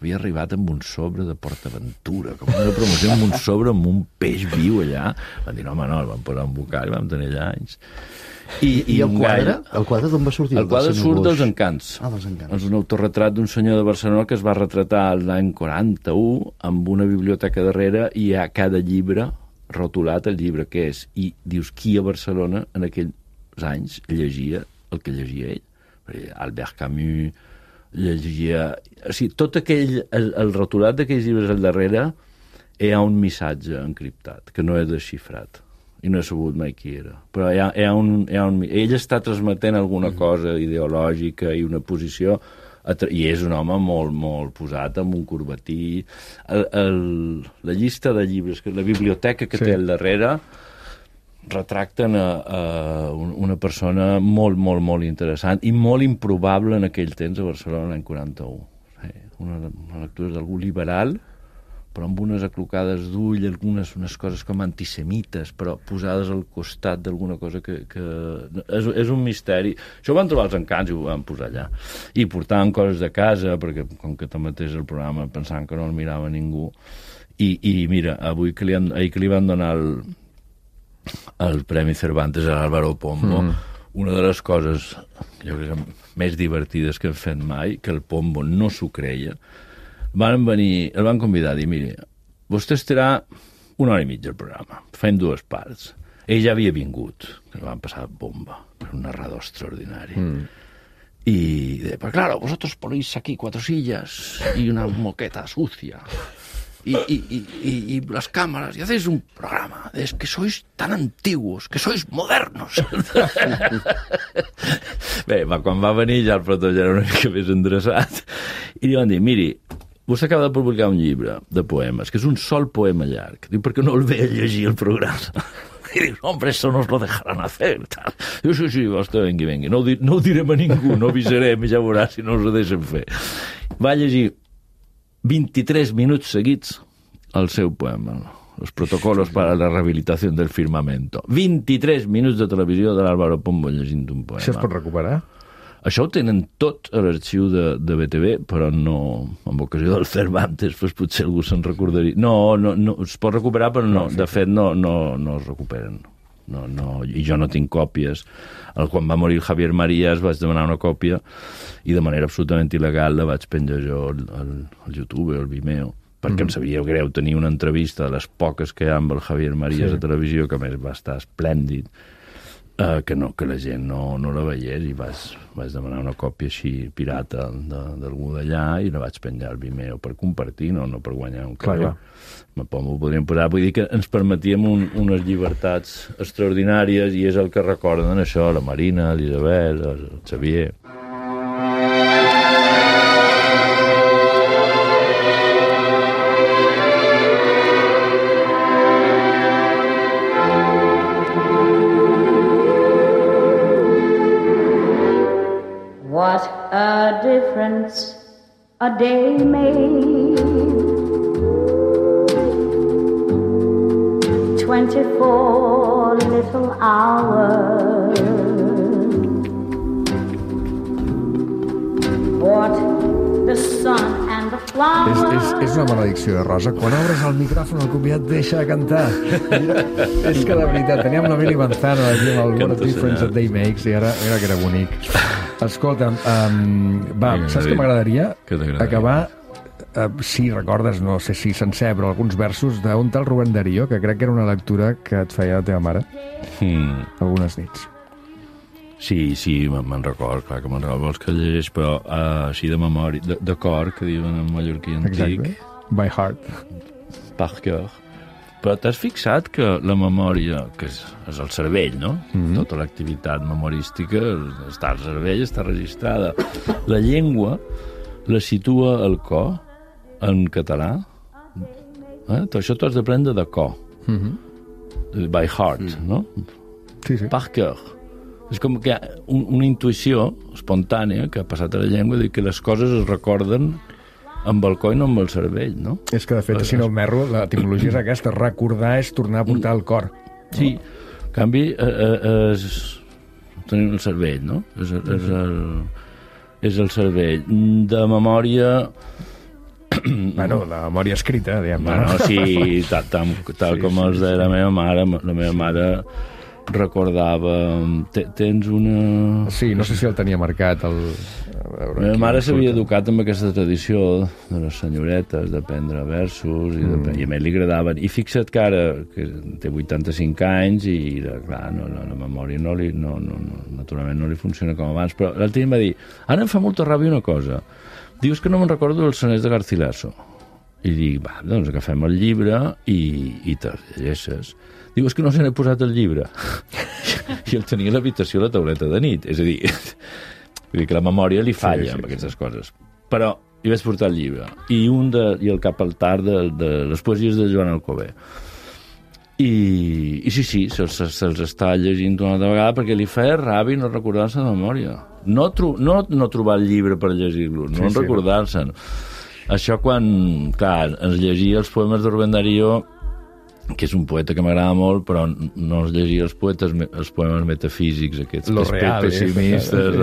havia arribat amb un sobre de PortAventura, com una promoció amb un sobre amb un peix viu allà. Van dir, no, home, no, el van posar un bocal, vam tenir allà anys. I el quadre? El quadre d'on va sortir? El quadre surt dels Encants. Dels Encants. És un autorretrat d'un senyor de Barcelona que es va retratar l'any 41 amb una biblioteca darrere i a cada llibre rotulat el llibre que és. I dius qui a Barcelona en aquells anys llegia el que llegia ell. Albert Camus llegia... O sigui, tot aquell... El rotulat d'aquells llibres al darrere hi ha un missatge encriptat, que no és desxifrat. I no he sabut mai qui era. Però hi ha un... Ell està transmetent alguna cosa ideològica i una posició... I és un home molt, molt posat amb un corbatí. La llista de llibres, la biblioteca que té al darrere... retracten una persona molt, molt, molt interessant i molt improbable en aquell temps a Barcelona l'any 41. Una lectura d'algú liberal, però amb unes aclocades d'ull, unes coses com antisemites, però posades al costat d'alguna cosa que és un misteri. Això ho van trobar els Encants i ho van posar allà. I portaven coses de casa, perquè com que tanmateix el programa pensaven que no el mirava ningú. I mira, ahir que li van donar el Premi Cervantes a l'Álvaro Pombo, una de les coses jo crec més divertides que hem fet mai, que el Pombo no s'ho creia, el van convidar a dir, mire, vostè estarà 1 hora i mitja al programa, fem 2 parts. Ell ja havia vingut, que el van passar bomba, era un narrador extraordinari. Y pues claro, vosotros ponéis aquí 4 sillas y una moqueta sucia. Y las cámaras, y hacéis un programa, es que sois tan antiguos, que sois modernos. Bé, quan va venir ja el plató ja era una mica més endreçat, i li van dir, miri, vostè acaba de publicar un llibre de poemes, que és un sol poema llarg. Diu, per què no el ve a llegir el programa? I dius, hombre, eso nos lo dejarán hacer. Tal. Diu, sí, vostè vengui. No ho direm a ningú, no avisarem, ja veurà si no us ho deixen fer. Va llegir 23 minuts seguits el seu poema, Los protocolos para la rehabilitación del firmamento. 23 minuts de televisió de l'Álvaro Pombo llegint un poema. Això es pot recuperar? Això ho tenen tot a l'arxiu de BTV, però no, en ocasió del Cervantes, doncs potser algú se'n recordaria. No, es pot recuperar, però no, de fet no es recuperen. No, i jo no tinc còpies. Quan va morir Javier Marías vaig demanar una còpia i de manera absolutament il·legal la vaig penjar jo al YouTube o al Vimeo, perquè em sabia greu tenir una entrevista de les poques que hi ha amb el Javier Marías a televisió, que a més va estar esplèndid, que la gent no la veiés, i vaig demanar una còpia així pirata d'algú d'allà i la vaig penjar al Vimeo per compartir, no per guanyar un carrer. Ho podríem posar. Vull dir que ens permetíem unes llibertats extraordinàries, i és el que recorden això, la Marina, l'Isabel, el Xavier. What a difference a day made. 24 little hours. What the sun and the flowers. És una maledicció de Rosa. Quan obres el micròfon el convidat deixa de cantar. Mira, és que la veritat, teníem la Mili Manzano aquí amb el What a Difference a Day Makes, i ara que era bonic. Escolta, saps què m'agradaria? Acabar, si recordes, no sé si sencer, però alguns versos d'un tal Rubén Darío, que crec que era una lectura que et feia la teva mare algunes nits. Sí, me'n record, clar que me'n record, vols que llegeix, però així de memòria, de cor, que diuen en mallorquí antic. Exacte, by heart. Par cœur. Però t'has fixat que la memòria, que és el cervell, no? Tota l'activitat memorística està al cervell, està registrada. La llengua la situa al cor, en català. Això t'ho has d'aprendre de cor. By heart, no? Sí. Par cœur. És com que hi ha una intuïció espontània que ha passat a la llengua, de que les coses es recorden amb el cor i no amb el cervell, no? És que, de fet, si no el merro, l'etimologia és aquesta, recordar és tornar a portar al cor. Sí, en canvi, tenim el cervell, no? És el cervell. De memòria... Bueno, la memòria escrita, diguem. Bueno, sí, tal com els de la meva mare. La meva mare recordava... Tens una... Sí, no sé si el tenia marcat. La meva mare s'havia educat amb aquesta tradició de les senyoretes, d'aprendre versos, i a més li agradaven. I fixa't que ara, que té 85 anys, i clar, la memòria naturalment no li funciona com abans, però l'altre dia em va dir, ara em fa molta ràbia una cosa, dius que no me'n recordo dels sonets de Garcilaso. I dic, doncs agafem el llibre i te'ls llegeixes. Diu, és que no se n'he posat el llibre. I el tenia a l'habitació a la tauleta de nit. És a dir, vull dir que la memòria li falla amb aquestes coses. Però hi vaig portar el llibre. I el cap al tard de les poesies de Joan Alcover. I sí, se'ls està llegint una altra vegada perquè li feia ràbia no recordar-se de memòria. No trobar el llibre per llegir-lo, no recordar-se'n. Això quan, clar, ens llegia els poemes de Rubén Darío, que és un poeta que m'agrada molt, però no es llegia els poemes metafísics, aquests pessimistes,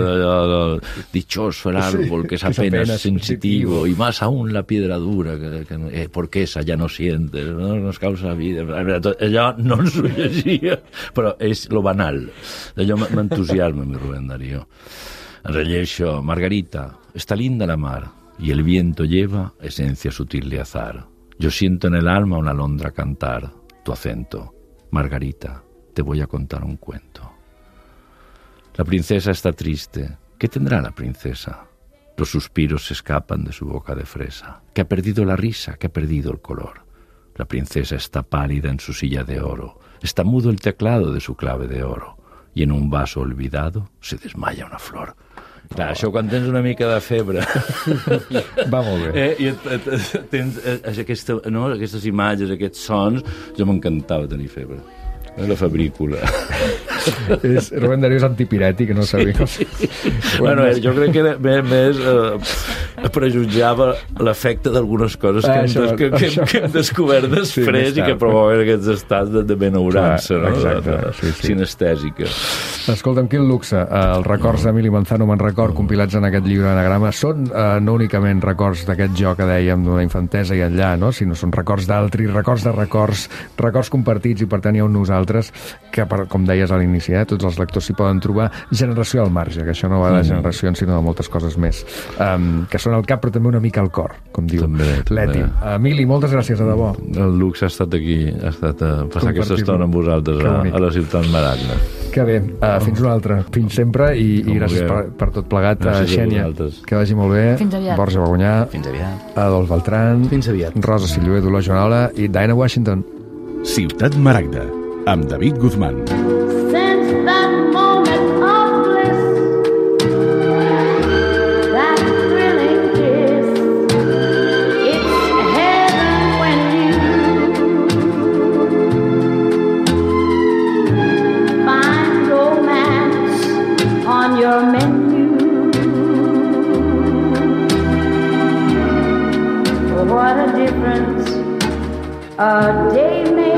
dichoso el árbol que es apenas sensitivo, y más aún la piedra dura, porque esa ja no siente, no nos causa vida. Allò no ens ho llegia, però és lo banal. Allò m'entusiasma, mi Rubén Darío. Rellejo, Margarita, está linda la mar, y el viento lleva esencia sutil de azar. Yo siento en el alma una alondra cantar, tu acento. Margarita, te voy a contar un cuento. La princesa está triste. ¿Qué tendrá la princesa? Los suspiros se escapan de su boca de fresa, que ha perdido la risa, que ha perdido el color. La princesa está pálida en su silla de oro, está mudo el teclado de su clave de oro, y en un vaso olvidado se desmaya una flor. Clar, això quan tens una mica de febre va molt bé i tens aquestes imatges, aquests sons, jo m'encantava tenir febre, la febrícula. Rubén Darío és antipirètic, no sabia. Bueno, jo crec que més prejutjava l'efecte d'algunes coses que hem descobert després i que provoquen aquests estats de benaurança, sinestèsica. Escolta'm, quin luxe. Els records d'Emili Manzano me'n record, compilats en aquest llibre d'anagrama, són no únicament records d'aquest jo que dèiem d'una infantesa i enllà, no? Sinó són records d'altri, records de records compartits, i per tant hi ha un nosaltres que, com deies a l'inici, tots els lectors s'hi poden trobar, generació al marge, que això no va de generacions sinó de moltes coses més, que són al cap però també una mica al cor, com diu l'Eti. Emili, moltes gràcies, de debò. El luxe ha estat aquí, ha estat passar aquesta estona amb vosaltres a la ciutat Maragna. Que bé, fins una altra. Fins sempre, i gràcies per tot plegat. Xènia, que vagi molt bé. Fins aviat. Borja Bagonyà. Fins aviat. Adolf Beltrán. Fins aviat. Rosa Sillué, Dolors Joanola i Diana Washington. Ciutat Maragda, amb David Guzmán. Since that moment of bliss, that thrilling kiss, it's heaven when you find romance on your menu. What a difference a day makes.